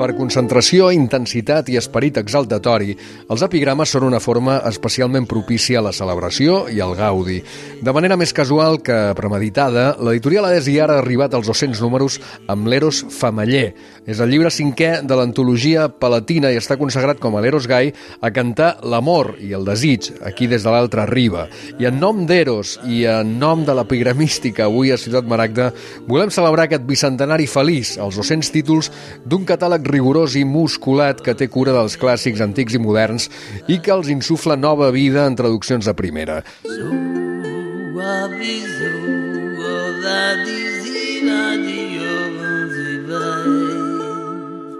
Per concentració, intensitat i esperit exaltatori, els epigrames són una forma especialment propícia a la celebració i al gaudi. De manera més casual que premeditada, l'editorial Adés i Ara ha arribat als 200 números amb l'Eros Famaller. És el llibre 5è de l'antologia palatina i està consagrat com a l'Eros gai a cantar l'amor i el desig, aquí des de l'altra riba. I en nom d'Eros i en nom de l'epigramística avui a Ciutat Maragda, volem celebrar aquest bicentenari feliç, els 200 títols d'un catàleg rigorós i musculat que té cura dels clàssics antics i moderns i que els insufla nova vida en traduccions de primera.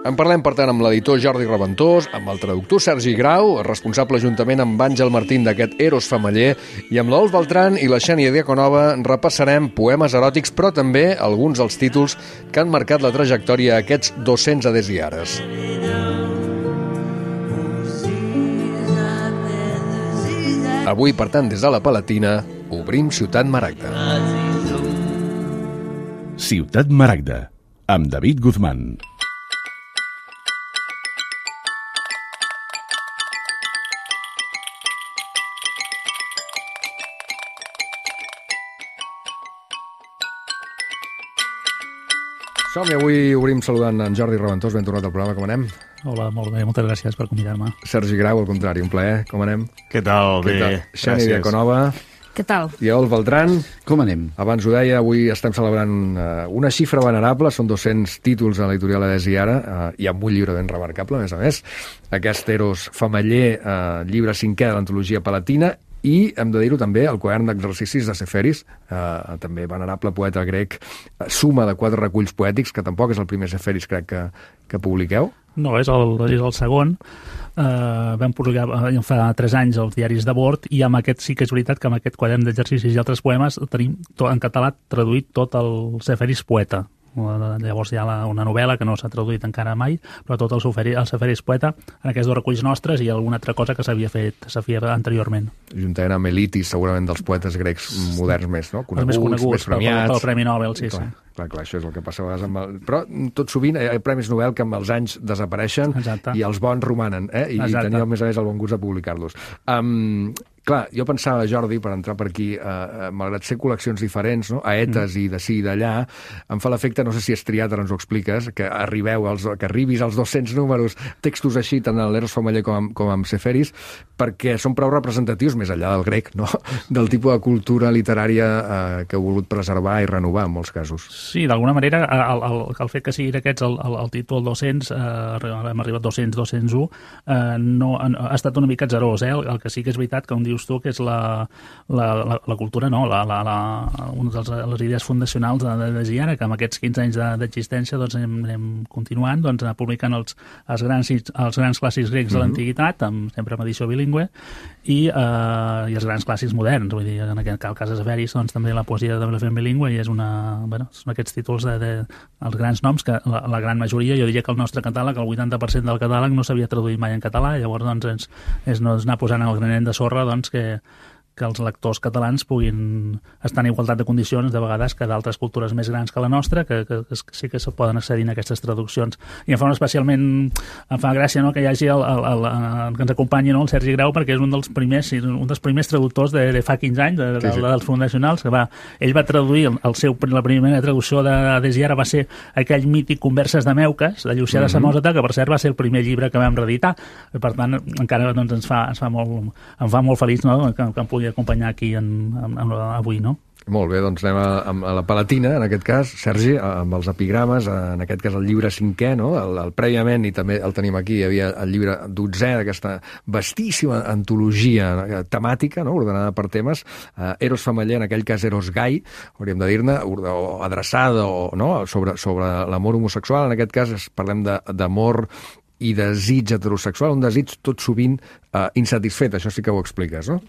En parlem, per tant, amb l'editor Jordi Reventós, amb el traductor Sergi Grau, responsable juntament amb Àngel Martín d'aquest Eros Famaller, i amb l'Olf Beltran i la Xènia Diaconova repassarem poemes eròtics, però també alguns dels títols que han marcat la trajectòria a aquests 200 Adés i Ares. Avui, per tant, des de la Palatina, obrim Ciutat Maragda. Ciutat Maragda, amb David Guzmán. Som-hi, avui obrim saludant en Jordi Reventós. Ben tornat al programa, com anem? Hola, molt bé, moltes gràcies per convidar-me. Sergi Grau, al contrari, un plaer, com anem? Què tal? Bé, Xènia Diaconova. Què tal? I Olf Beltran. Com anem? Abans ho deia, avui estem celebrant una xifra venerable, són 200 títols a l'editorial Adés i Ara, i amb un llibre ben remarcable, a més. Aquest Eros Famaller, llibre 5è de l'antologia palatina, i hem de dir-ho també, el quadern d'exercicis de Seferis, també venerable poeta grec, suma de 4 reculls poètics, que tampoc és el primer Seferis, crec, que publiqueu. No, és el segon. Vam publicar fa 3 anys els diaris de bord i amb aquest sí que és veritat que amb aquest quadern d'exercicis i altres poemes tenim en català traduït tot el Seferis poeta. Llavors hi ha una novel·la que no s'ha traduït encara mai, però tot el Seferis poeta en aquests 2 reculls nostres i alguna altra cosa que s'havia fet anteriorment. Juntament amb Elitis, segurament dels poetes grecs moderns més, no? Coneguts, més premiats. Pel Premi Nobel, sí. Clar, això és el que passa a vegades amb el... Però tot sovint hi ha premis Nobel que amb els anys desapareixen. Exacte. I els bons romanen, i teníeu, a més, a més, el bon gust de publicar-los. Clar, jo pensava, Jordi, per entrar per aquí, malgrat ser col·leccions diferents, no? Aetes i d'ací i d'allà, em fa l'efecte, no sé si és triat, ara ens ho expliques, que arribis als 200 números, textos així, tant a l'Eros Famaller com amb Seferis, perquè són prou representatius, més enllà del grec, no? Del tipus de cultura literària que heu volgut preservar i renovar, en molts casos. Sí, d'alguna manera, el fet que siguin aquests el títol 200, hem arribat 200, 201, no, ha estat una mica atzerós, el que sí que és veritat que un dius tu, que és la cultura, no? Una de les idees fundacionals de Giara, que amb aquests 15 anys d'existència doncs, anem continuant publicant els grans clàssics grecs de l'antiguitat, sempre amb edició bilingüe, i els grans clàssics moderns. Vull dir, en aquest cas de Seferis, doncs, també la poesia també la fem bilingüe, i són aquests títols els grans noms, que la gran majoria, jo diria que el nostre catàleg, el 80% del catàleg no s'havia traduït mai en català, llavors doncs, és anar posant el granet de sorra que els lectors catalans puguin estar en igualtat de condicions de vegades que d'altres cultures més grans que la nostra, que sí que se poden accedir a aquestes traduccions. I em fa gràcia, no?, que hi hagi que ens acompanyi, no?, el Sergi Grau, perquè és un dels primers traductors de fa 15 anys, dels fundacionals, que ell va traduir la primera traducció d'Adés i Ara va ser aquell mític Converses de Meuques, de Llucià de Samòsata, que per cert va ser el primer llibre que vam reeditar. Per tant, encara doncs, em fa molt feliç, no?, que em pugui acompanyar aquí avui, no? Molt bé, doncs anem a la Palatina, en aquest cas, Sergi, amb els epigrames, en aquest cas el llibre 5è, no? El prèviament, i també el tenim aquí, hi havia el llibre 12è d'aquesta vastíssima antologia temàtica, no?, ordenada per temes, Eros Famaller, en aquell cas Eros gai, hauríem de dir-ne, o adreçada, no?, sobre l'amor homosexual. En aquest cas parlem d'amor i desig heterosexual, un desig tot sovint insatisfet, això sí que ho expliques, no?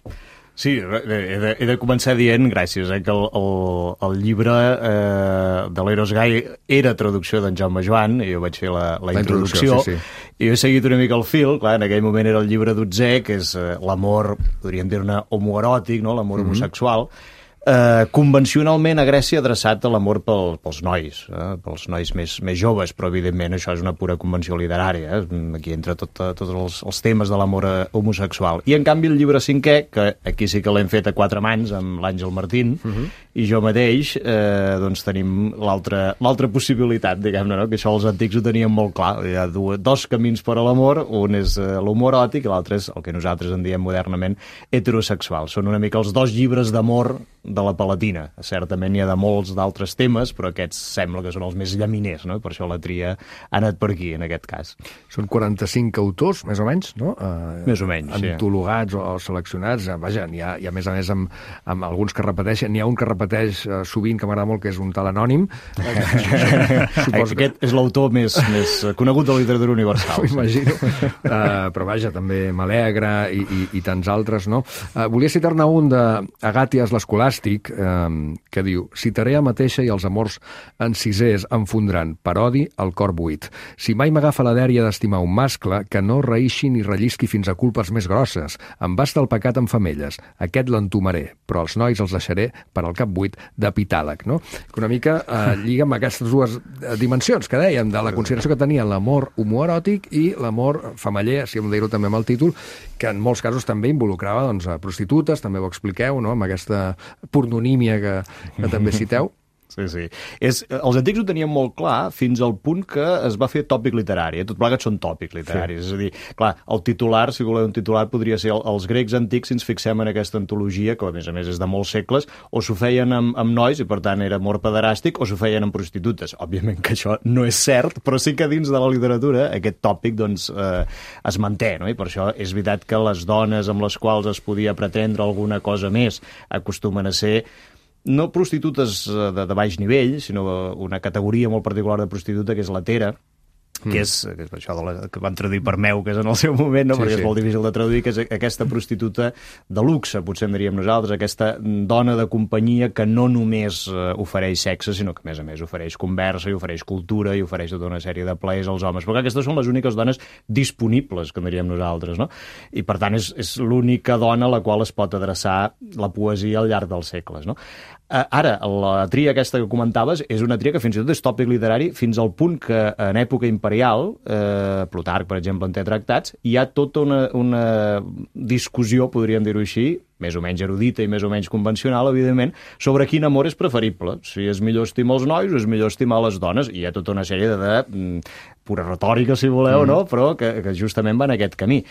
Sí, he de començar dient, gràcies, que el llibre de l'Eros gai era traducció d'en Jaume Joan, i jo vaig fer la introducció, sí. I he seguit una mica el fil. Clar, en aquell moment era el llibre 12è, que és l'amor, podríem dir-ne, homoeròtic, no?, l'amor homosexual, convencionalment a Grècia adreçat a l'amor pels nois més joves, però evidentment això és una pura convenció literària, aquí entra tots els temes de l'amor homosexual. I en canvi el llibre 5è, que aquí sí que l'hem fet a 4 mans amb l'Àngel Martín i jo mateix, doncs tenim l'altra possibilitat, diguem-ne, no? Que això els antics ho tenien molt clar. Hi ha dos camins per a l'amor, un és l'homoeròtic i l'altre és el que nosaltres en diem modernament heterosexual. Són una mica els dos llibres d'amor de la Palatina. Certament hi ha de molts d'altres temes, però aquests sembla que són els més llaminers, no? Per això la tria ha anat per aquí, en aquest cas. Són 45 autors, més o menys, no? Més o menys, sí. Antologats o seleccionats. Vaja, n'hi ha a més a més amb alguns que repeteixen. N'hi ha un que repeteix sovint, que m'agrada molt, que és un tal anònim. Aquest és l'autor més conegut de la literatura universal. M'imagino. Però vaja, també Maleagre i tants altres, no? Volia citar-ne un d'Agàties l'Escolàstic, que diu: si Tarea mateixa i els amors encisers em fondran per odi el cor buit. Si mai m'agafa la dèria d'estimar un mascle, que no reïxi ni rellisqui fins a culpes més grosses. Em basta el pecat amb femelles, aquest l'entomaré, però els nois els deixaré per al cap buit d'epitàleg, no? Que una mica lliga amb aquestes dues dimensions que dèiem, de la consideració que tenia l'amor homoeròtic i l'amor femeller, si hem de dir-ho també amb el títol, que en molts casos també involucrava doncs, a prostitutes, també ho expliqueu, no? Amb aquesta pornonímia que també citeu. Sí. Els antics ho tenien molt clar fins al punt que es va fer tòpic literari. Tot plegat són tòpics literaris. Sí. És a dir, clar, el titular, si voleu un titular, podria ser els grecs antics, si ens fixem en aquesta antologia, que a més és de molts segles, o s'ho feien amb nois, i per tant era amor pederàstic, o s'ho feien amb prostitutes. Òbviament que això no és cert, però sí que dins de la literatura aquest tòpic doncs, es manté, no? I per això és veritat que les dones amb les quals es podia pretendre alguna cosa més acostumen a ser no prostitutes de baix nivell, sinó una categoria molt particular de prostituta, que és l'hetera, que és això que van traduir per meuques en el seu moment, no? Perquè és molt difícil de traduir, que és aquesta prostituta de luxe, potser en diríem nosaltres, aquesta dona de companyia que no només ofereix sexe, sinó que a més ofereix conversa, i ofereix cultura, i ofereix tota una sèrie de plaers als homes. Però aquestes són les úniques dones disponibles, que en diríem nosaltres, no? I per tant és l'única dona a la qual es pot adreçar la poesia al llarg dels segles, no? Ara, la tria aquesta que comentaves és una tria que fins i tot és tòpic literari fins al punt que en època imperial, Plutarc, per exemple, en té tractats, hi ha tota una discussió, podríem dir-ho així, més o menys erudita i més o menys convencional, evidentment, sobre quin amor és preferible. Si és millor estimar els nois o és millor estimar les dones. I hi ha tota una sèrie de pura retòrica, si voleu, no? Però que justament va en aquest camí.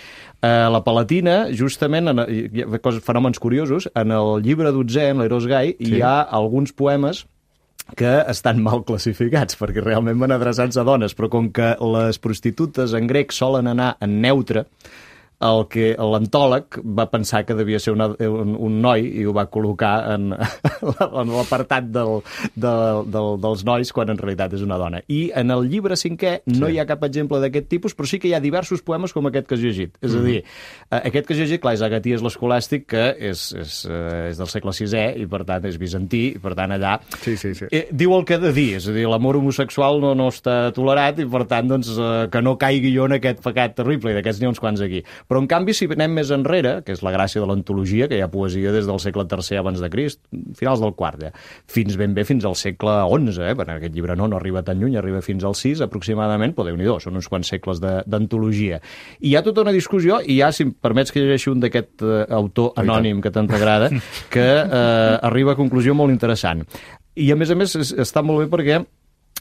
La Palatina, justament, hi ha fenòmens curiosos, en el llibre 12è, en l'Eros Gai, hi ha alguns poemes que estan mal classificats, perquè realment van adreçats a dones, però com que les prostitutes en grec solen anar en neutre, l'antòleg va pensar que devia ser un noi i ho va col·locar en l'apartat dels nois, quan en realitat és una dona. I en el llibre 5è no hi ha cap exemple d'aquest tipus, però sí que hi ha diversos poemes com aquest que has llegit. És a dir, aquest que has llegit, clar, és Agaties l'Escolàstic, que és del segle VI i per tant és bizantí, i per tant allà diu el que ha de dir, és a dir, l'amor homosexual no està tolerat i per tant doncs, que no caigui jo en aquest pecat terrible, i d'aquests n'hi ha uns quants aquí. Però, en canvi, si anem més enrere, que és la gràcia de l'antologia, que hi ha poesia des del segle III abans de Crist, finals del IV, fins ben bé fins al segle XI, perquè aquest llibre no arriba tan lluny, arriba fins al VI, aproximadament, però Déu-n'hi-do, són uns quants segles d'antologia. I hi ha tota una discussió, i hi ha, si em permets que llegeixi un d'aquest autor anònim que tant t'agrada, que arriba a conclusió molt interessant. I, a més, està molt bé perquè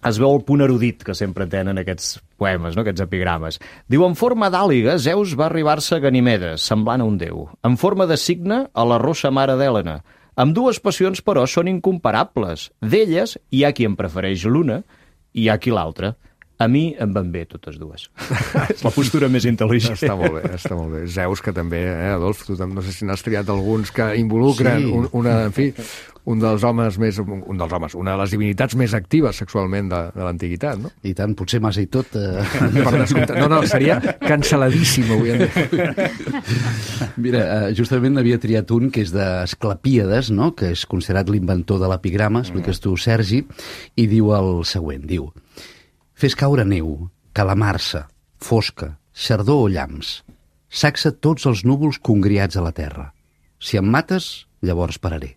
es veu el punt erudit que sempre tenen aquests poemes, no? Aquests epigrames. Diu, en forma d'àliga, Zeus va arribar-se a Ganimedes, semblant a un déu. En forma de cigne, a la rossa mare d'Hèlena. Amb dues passions, però, són incomparables. D'elles, hi ha qui en prefereix l'una i hi ha qui l'altra. A mi em van bé totes dues. És la postura més intel·ligent. Està molt bé. Zeus, que també, Adolf, tu no sé si n'has triat alguns que involucren un dels homes, una de les divinitats més actives sexualment de l'antiguitat, no? I tant, potser massa i tot. Per descomptat. No, seria cancel·ladíssim, avui en dia. Mira, justament n'havia triat un que és d'Esclapíades, no? Que és considerat l'inventor de l'epigrama, expliques tu, Sergi, i diu el següent, diu: fes caure neu, calamarsa, fosca, xardó o llamps. Saxa tots els núvols congriats a la terra. Si em mates, llavors pararé.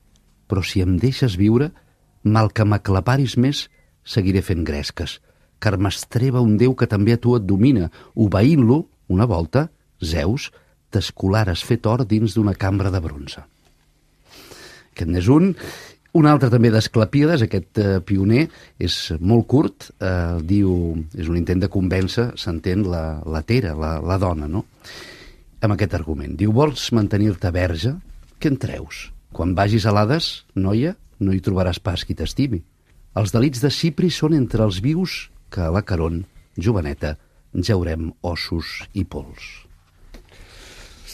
però si em deixes viure, mal que m'aclaparis més, seguiré fent gresques, car m'estreba un déu que també a tu et domina. Obeint-lo, una volta, Zeus, t'escolares fet or dins d'una cambra de bronze. Aquest n'és un. Un altre també d'Asclepíades, aquest pioner, és molt curt, diu, és un intent de convèncer, s'entén, la Tera, la dona, no? Amb aquest argument. Diu, vols mantenir-te verge? Què en treus? Quan vagis a l'Hades, noia, no hi trobaràs pas qui t'estimi. Els delits de Cipri són entre els vius que a la Caron, joveneta, jaurem ossos i pols.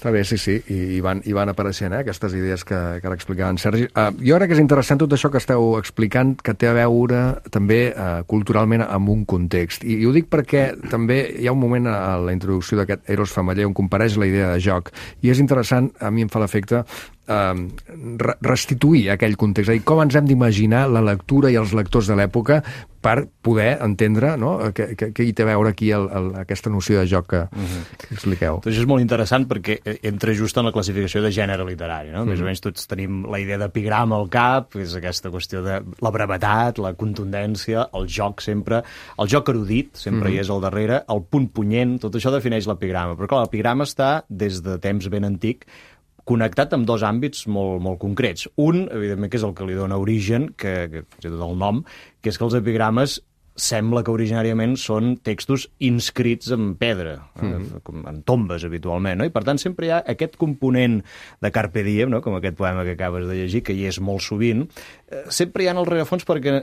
Està bé, sí, i van apareixent aquestes idees que ara explicava en Sergi. Jo crec que és interessant tot això que esteu explicant, que té a veure també culturalment amb un context. I ho dic perquè també hi ha un moment a la introducció d'aquest Eros Femeller on compareix la idea de joc, i és interessant, a mi em fa l'efecte, restituir aquell context, és a dir, com ens hem d'imaginar la lectura i els lectors de l'època per poder entendre, no?, què hi té a veure aquí aquesta noció de joc que expliqueu. Doncs és molt interessant perquè entra just en la classificació de gènere literari, no? Més o menys tots tenim la idea d'epigrama al cap, és aquesta qüestió de la brevetat, la contundència, el joc sempre, el joc erudit sempre hi és al darrere, el punt punyent, tot això defineix l'epigrama. Però clar, l'epigrama està des de temps ben antic connectat amb dos àmbits molt concrets. Un, evidentment, que és el que li dona origen, que és tot el nom, que és que els epigrames sembla que originàriament són textos inscrits en pedra, en tombes habitualment, no? I per tant sempre hi ha aquest component de Carpe Diem, no?, com aquest poema que acabes de llegir, que hi és molt sovint, sempre hi ha en el rerefons perquè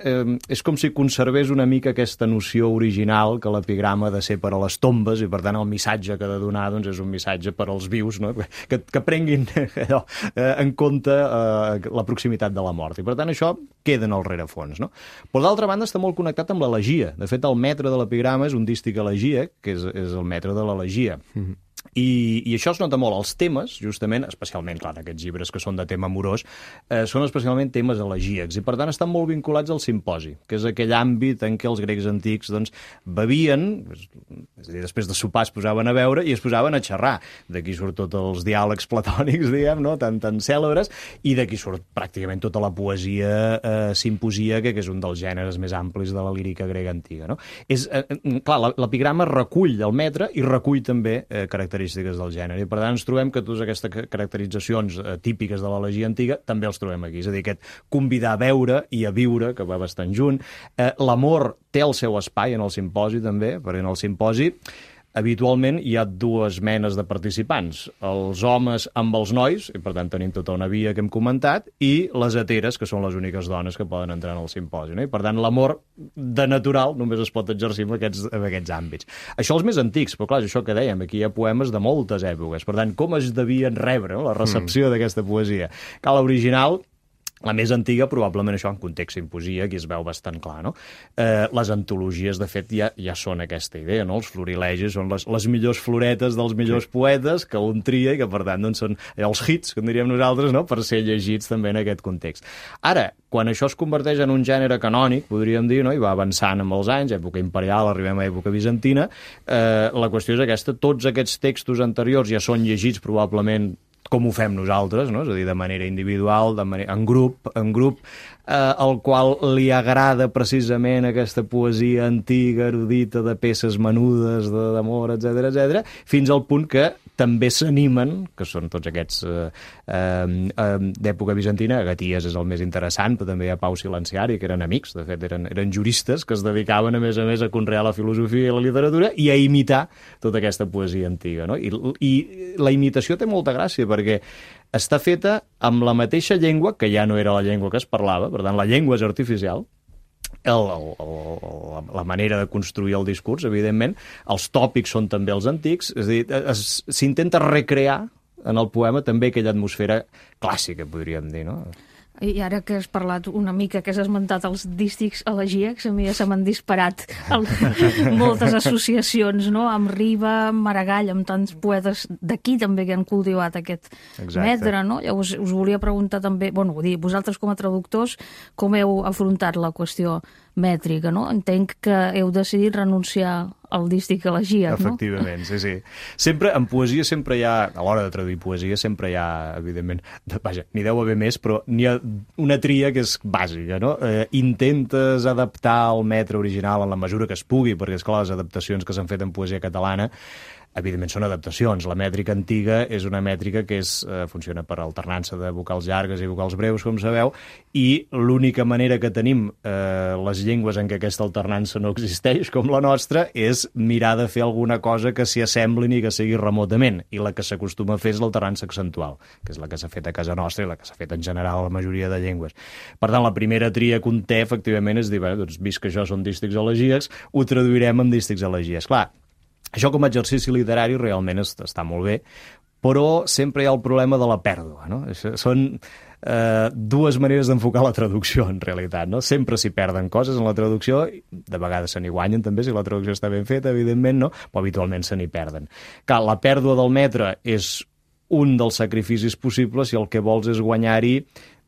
és com si conservés una mica aquesta noció original que l'epigrama ha de ser per a les tombes i per tant el missatge que ha de donar doncs, és un missatge per als vius, no?, que prenguin allò, en compte la proximitat de la mort. I per tant això queda en el rerefons, no? Però d'altra banda està molt connectat amb l'elegia. De fet, el metre de l'epigrama és un dístic elegíac, que és el metre de l'elegia. I això es nota molt. Els temes, justament, especialment, clar, aquests llibres que són de tema amorós, són especialment temes elegíacs i, per tant, estan molt vinculats al simposi, que és aquell àmbit en què els grecs antics doncs, bevien, és a dir, després de sopar es posaven a beure i es posaven a xerrar. D'aquí surt tots els diàlegs platònics, diguem, no?, tan cèlebres, i d'aquí surt pràcticament tota la poesia simposíaca, que és un dels gèneres més amplis de la lírica grega antiga, no? Clar, l'epigrama recull el metre i recull també característiques del gènere. I per tant ens trobem que totes aquestes caracteritzacions típiques de l'elegia antiga també els trobem aquí. És a dir, aquest convidar a veure i a viure, que va bastant junt. L'amor té el seu espai en el simposi també, perquè en el simposi habitualment hi ha dues menes de participants, els homes amb els nois, i per tant tenim tota una via que hem comentat, i les heteres, que són les úniques dones que poden entrar en el simposi, no? I per tant l'amor de natural només es pot exercir en aquests àmbits. Això els més antics, però clar, és això que dèiem, aquí hi ha poemes de moltes èpoques, per tant, com es devien rebre, no?, la recepció d'aquesta poesia? Que l'original, la més antiga, probablement això en context simposia, aquí es veu bastant clar, no? Les antologies, de fet, ja són aquesta idea, no? Els florilegis són les millors floretes dels millors poetes que un tria i que, per tant, doncs, són els hits, que en diríem nosaltres, no?, per ser llegits també en aquest context. Ara, quan això es converteix en un gènere canònic, podríem dir, no?, i va avançant amb els anys, època imperial, arribem a època bizantina, la qüestió és aquesta, tots aquests textos anteriors ja són llegits probablement com ho fem nosaltres, no?, és a dir, de manera individual, en grup, al qual li agrada precisament aquesta poesia antiga, erudita, de peces menudes, d'amor, etc., fins al punt que també s'animen, que són tots aquests d'època bizantina, Agaties és el més interessant, però també hi ha Pau Silenciari, que eren amics, de fet eren juristes, que es dedicaven a més a conrear la filosofia i la literatura i a imitar tota aquesta poesia antiga, no? I la imitació té molta gràcia, perquè està feta amb la mateixa llengua, que ja no era la llengua que es parlava, per tant la llengua és artificial, la manera de construir el discurs, evidentment, els tòpics són també els antics, és a dir, s'intenta recrear en el poema també aquella atmosfera clàssica, podríem dir, no? I ara que has parlat una mica, que has esmentat els dístics elegíacs, a mi ja se m'han disparat moltes associacions, no?, amb Riba, amb Maragall, amb tants poetes d'aquí també que han cultivat aquest metre, no? Llavors us volia preguntar també, vosaltres com a traductors, com heu afrontat la qüestió mètrica, no? Entenc que heu decidit renunciar al dístic elegíac, no? Efectivament, sí. Sempre, en poesia sempre hi ha, a l'hora de traduir poesia, sempre hi ha, evidentment, vaja, n'hi deu haver més, però n'hi ha una tria que és bàsica, no? Intentes adaptar el metre original en la mesura que es pugui, perquè, esclar, les adaptacions que s'han fet en poesia catalana evidentment són adaptacions. La mètrica antiga és una mètrica que funciona per alternança de vocals llargues i vocals breus, com sabeu, i l'única manera que tenim les llengües en què aquesta alternança no existeix, com la nostra, és mirar de fer alguna cosa que s'hi assemblin i que sigui remotament. I la que s'acostuma a fer és l'alternança accentual, que és la que s'ha fet a casa nostra i la que s'ha fet en general a la majoria de llengües. Per tant, la primera tria que un té, efectivament, és dir, doncs, vist que això són dístics elegíacs, ho traduirem en dístics elegíacs. Clar, això com a exercici literari realment està molt bé, però sempre hi ha el problema de la pèrdua, no? Són dues maneres d'enfocar la traducció, en realitat, no? Sempre s'hi perden coses en la traducció, de vegades se n'hi guanyen també, si la traducció està ben feta, evidentment, no? Però habitualment se n'hi perden. Clar, la pèrdua del metre és un dels sacrificis possibles si el que vols és guanyar-hi,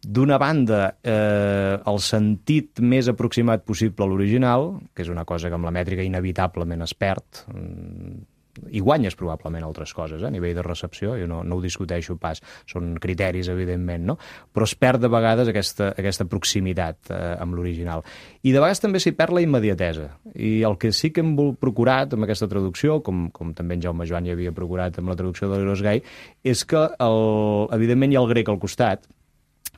d'una banda, el sentit més aproximat possible a l'original, que és una cosa que amb la mètrica inevitablement es perd, i guanyes probablement altres coses, a nivell de recepció, jo no ho discuteixo pas, són criteris, evidentment, no? Però es perd de vegades aquesta proximitat amb l'original. I de vegades també s'hi perd la immediatesa. I el que sí que hem procurat amb aquesta traducció, com també en Jaume Joan hi havia procurat amb la traducció de l'Eros Gai, és que, evidentment, hi ha el grec al costat.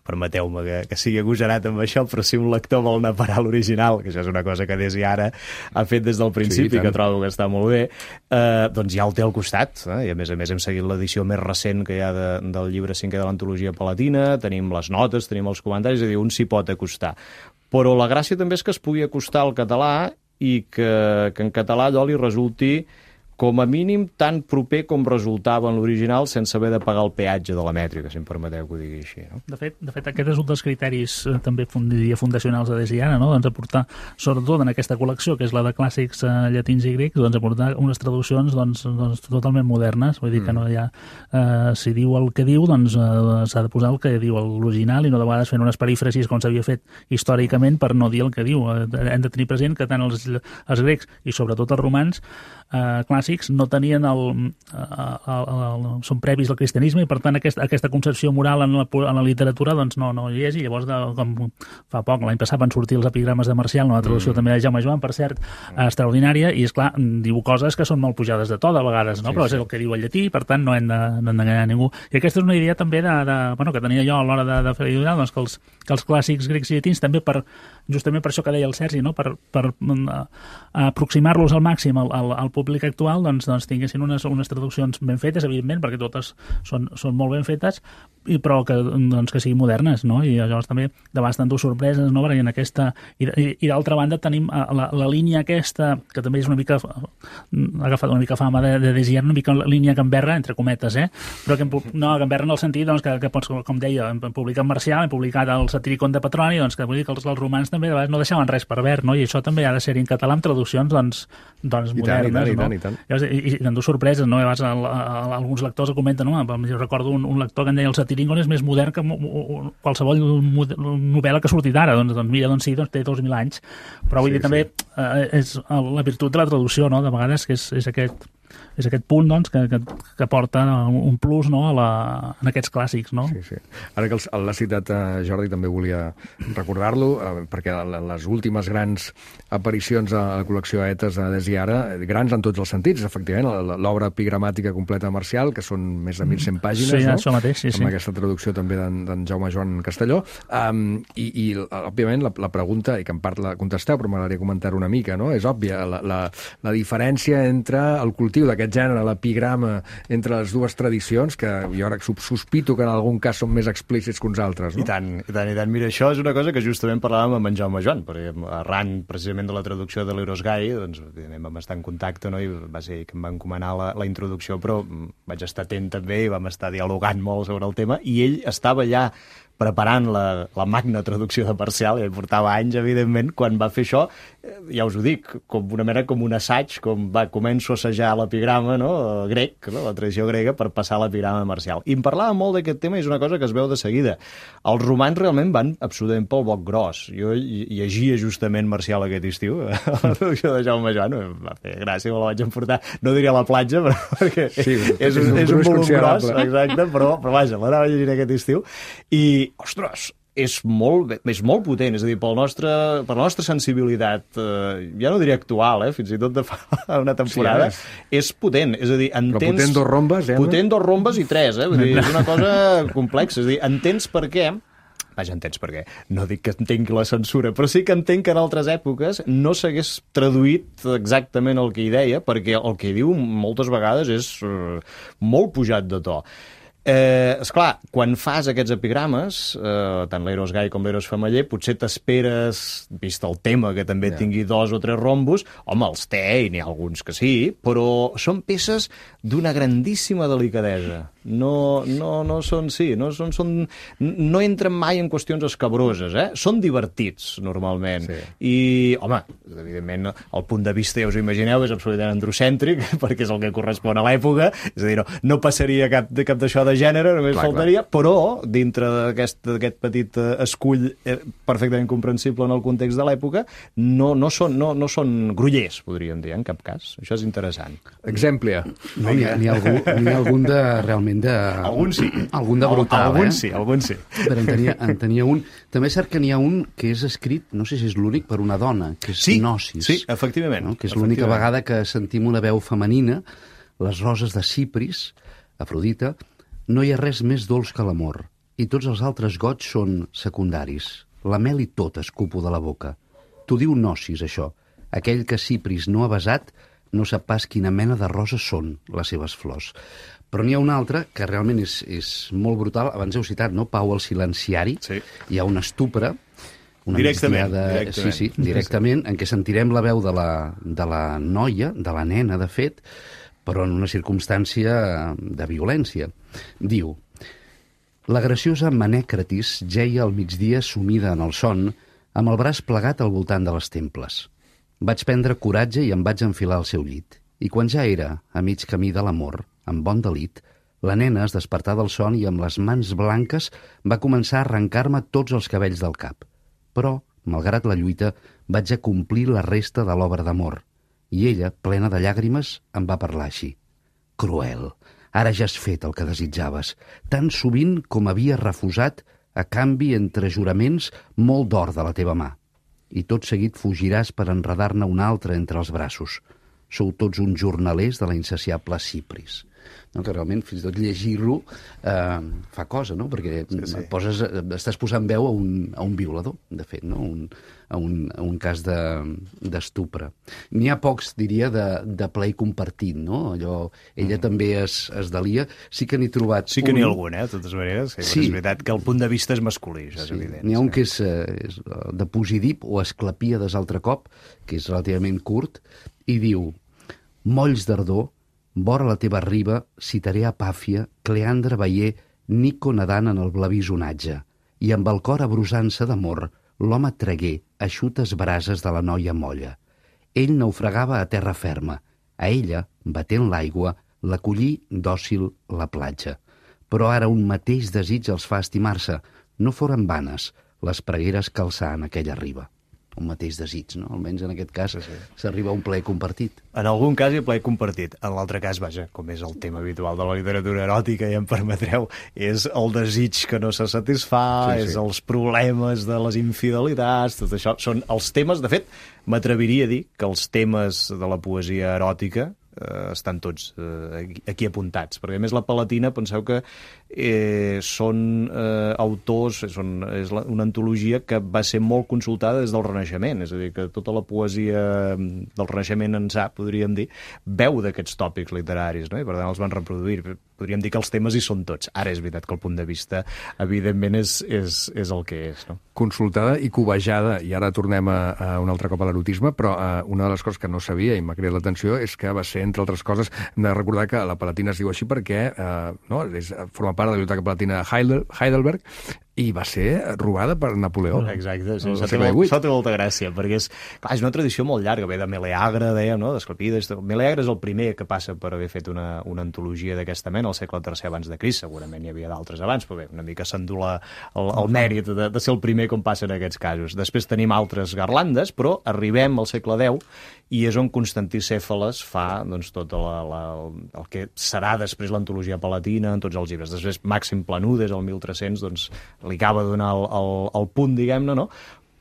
Permeteu-me que sigui agosarat amb això, però si un lector vol anar a parar a l'original, que això és una cosa que des i ara ha fet des del principi, que trobo que està molt bé, doncs ja el té al costat, i a més hem seguit l'edició més recent que hi ha del llibre 5è de l'antologia palatina, tenim les notes, tenim els comentaris, és a dir, un s'hi pot acostar. Però la gràcia també és que es pugui acostar al català i que en català allò li resulti com a mínim tan proper com resultava en l'original sense haver de pagar el peatge de la mètrica, si em permeteu que ho digui així. No? De fet, aquest és un dels criteris també fundacionals de Desiana, no? Doncs aportar, sobretot en aquesta col·lecció, que és la de clàssics llatins i grecs, doncs aportar unes traduccions doncs totalment modernes, vull dir que no hi ha... si diu el que diu, doncs s'ha de posar el que diu l'original i no de vegades fent unes perífrasis com s'havia fet històricament per no dir el que diu. Hem de tenir present que tant els grecs i sobretot els romans clàssics no tenien són previs al cristianisme i per tant aquesta concepció moral en la literatura doncs no hi és, i llavors com fa poc, l'any passat van sortir els epigrames de Marcial, una traducció també de Jaume Joan, per cert, extraordinària, i esclar, diu coses que són molt pujades de to de vegades, no? Però és el que diu el llatí, per tant no hem d'enganyar ningú. I aquesta és una idea també que tenia jo a l'hora de fer l'editorial, doncs que els clàssics grecs i llatins també justament per això que deia el Sergi, no? Per aproximar-los al màxim al públic actual, doncs tinguessin unes traduccions ben fetes, evidentment, perquè totes són molt ben fetes, però que siguin modernes, no? I llavors també de vegades t'endú sorpreses, no? Perquè en aquesta... I d'altra banda tenim la línia aquesta, que també és una mica... ha agafat una mica fama de Desiat, una mica línia gamberra, entre cometes, però gamberra en el sentit que pots, com deia, hem publicat Marcial, hem publicat el Satiricon de Petroni, doncs que vull dir que els romans també de vegades no deixaven res per verd, no? I això també ha de ser en català amb traduccions modernes, no? I t'endú sorpreses, no? Alguns lectors ho comenten, no? Jo recordo un lector que em deia el Satiricon és més modern que qualsevol novel·la que ha sortit ara, doncs mira, sí, té 2.000 anys, però vull dir també és la virtut de la traducció, no? De vegades que és aquest punt doncs, que porta un plus, no? En aquests clàssics, no? Sí. Ara que l'ha citat Jordi, també volia recordar-lo, perquè les últimes grans aparicions a la col·lecció Etes de Desiara, grans en tots els sentits, efectivament, l'obra epigramàtica completa de Marcial, que són més de 1.100 pàgines, sí, no? Això mateix, sí. Amb aquesta traducció també d'en Jaume Joan Castelló. I òbviament, la pregunta, i que en part la contesteu, però m'agradaria comentar una mica, no? És òbvia, la diferència entre el cultiu d'aquest gènere, l'epigrama, entre les dues tradicions, que jo ara sospito que en algun cas són més explícits que uns altres, no? I tant. Mira, això és una cosa que justament parlàvem amb en Jaume Joan, perquè arran precisament de la traducció de l'Eros Gai, doncs, evidentment vam estar en contacte, no? I va ser que em va encomanar la introducció, però vaig estar atent també i vam estar dialogant molt sobre el tema, i ell estava ja preparant la magna traducció de Marcial, i portava anys, evidentment, quan va fer això, ja us ho dic, com una mena com un assaig, començo a assajar l'epigrama, no? Grec, no? La tradició grega, per passar a l'epigrama Marcial. I em parlava molt d'aquest tema, i és una cosa que es veu de seguida. Els romans realment van absolutament pel boc gros. Jo llegia justament Marcial aquest estiu, la traducció de Jaume Joan, em va fer gràcia, me la vaig emportar, no diria a la platja, però perquè és un volum gros, exacte, però vaja, l'anava llegint aquest estiu, i, ostres, és molt potent, és a dir, per la nostra sensibilitat, ja no diria actual, fins i tot de fa una temporada, és potent, és a dir, entens... Però potent dos rombes, Potent dos rombes i tres, vull dir, és una cosa complexa, és a dir, entens per què. Vaja, entens per què. No dic que entenc la censura, però sí que entenc que en altres èpoques no s'hagués traduït exactament el que hi deia, perquè el que hi diu moltes vegades és molt pujat de to. Esclar, quan fas aquests epigrames, tant l'Eros Gai com l'Eros Femeller, potser t'esperes, vist el tema, que també tingui 2 o 3 rombos. Home, els té, i n'hi ha alguns que sí, però són peces d'una grandíssima delicadesa. No entren mai en qüestions escabroses, Són divertits, normalment. Sí. I, home, evidentment, el punt de vista, ja us ho imagineu, és absolutament androcèntric, perquè és el que correspon a l'època, és a dir, no passaria cap d'això de gènere, només faltaria, però dintre d'aquest petit escull perfectament comprensible en el context de l'època, no són grollers, podríem dir, en cap cas. Això és interessant. Exemple. No, n'hi ha algun de realment de... Algun sí. Algun de brutal, Algun sí. Però en tenia un... També és cert que n'hi ha un que és escrit, no sé si és l'únic, per una dona, que és Gnosis. Sí, efectivament. No? Que és l'única vegada que sentim una veu femenina, les roses de Cipris, Afrodita, no hi ha res més dolç que l'amor, i tots els altres goig són secundaris. La mel i tot escupo de la boca. T'ho diu Gnosis, això. Aquell que Cipris no ha besat no sap pas quina mena de roses són les seves flors. Però n'hi ha una altra que realment és molt brutal. Abans heu citat, no? Pau el Silenciari. Sí. Hi ha una estupra, una directament. Directament, en què sentirem la veu de la noia, de la nena, de fet, però en una circumstància de violència. Diu: la graciosa Manècratis jeia al migdia sumida en el son, amb el braç plegat al voltant de les temples. Vaig prendre coratge i em vaig enfilar al seu llit. I quan ja era a mig camí de l'amor, amb bon delit, la nena es despertà del son i amb les mans blanques va començar a arrencar-me tots els cabells del cap. Però, malgrat la lluita, vaig acomplir la resta de l'obra d'amor. I ella, plena de llàgrimes, em va parlar així: cruel, ara ja has fet el que desitjaves, tan sovint com havies refusat a canvi entre juraments molt d'or de la teva mà. I tot seguit fugiràs per enredar-ne un altre entre els braços. Sou tots uns jornalers de la insaciable Cipris. No, que realment, fins i tot llegir-lo fa cosa, no? Perquè estàs posant veu a un violador, de fet, no? A un cas d'estupre. N'hi ha pocs, diria, de plaer compartit, no? Allò, ella també es delia. Sí que n'he trobat Sí que n'hi ha algun, de totes maneres. Sí. És veritat que el punt de vista és masculí, això és evident. N'hi ha un que és de Posidip o Esclepíades altre cop, que és relativament curt, i diu: molls d'ardor, vora la teva riba, citaré a Pàfia, Cleandre veier, Nico nedant en el blavís onatge, i amb el cor abrusant-se d'amor, l'home tragué eixutes brases de la noia molla. Ell naufragava a terra ferma, a ella, batent l'aigua, l'acollí dòcil la platja. Però ara un mateix desig els fa estimar-se, no foren vanes les pregueres que alçà en aquella riba. Un mateix desig, no? Almenys en aquest cas s'arriba a un plaer compartit. En algun cas hi ha plaer compartit. En l'altre cas, vaja, com és el tema habitual de la literatura eròtica, ja em permetreu, és el desig que no se satisfà, és els problemes de les infidelitats, tot això. Són els temes, de fet, m'atreviria a dir que els temes de la poesia eròtica estan tots aquí apuntats, perquè a més la Palatina, penseu que són autors, és una antologia que va ser molt consultada des del Renaixement, és a dir, que tota la poesia del Renaixement ençà, podríem dir, veu d'aquests tòpics literaris, no? I per tant els van reproduir. Podríem dir que els temes hi són tots. Ara és veritat que el punt de vista, evidentment, és el que és, no? Consultada i cobejada, i ara tornem un altre cop a l'erotisme, però una de les coses que no sabia i m'ha cridat l'atenció és que va ser, entre altres coses, hem de recordar que la Palatina es diu així perquè forma part de la Biblioteca Palatina de Heidelberg, i va ser robada per Napoleó. Exacte, sí, això té molta gràcia, perquè és una tradició molt llarga, ve de Meleagre, dèiem, no? d'Esclapides. Meleagre és el primer que passa per haver fet una antologia d'aquesta mena, al segle III abans de Crist, segurament hi havia d'altres abans, però bé, una mica s'endula el mèrit de ser el primer com passa en aquests casos. Després tenim altres garlandes, però arribem al segle X i és on Constantí Cèfales fa doncs, tot el que serà després l'antologia palatina en tots els llibres. Després Màxim Planudes, el 1300, doncs, li acaba de donar el punt, diguem-ne, no?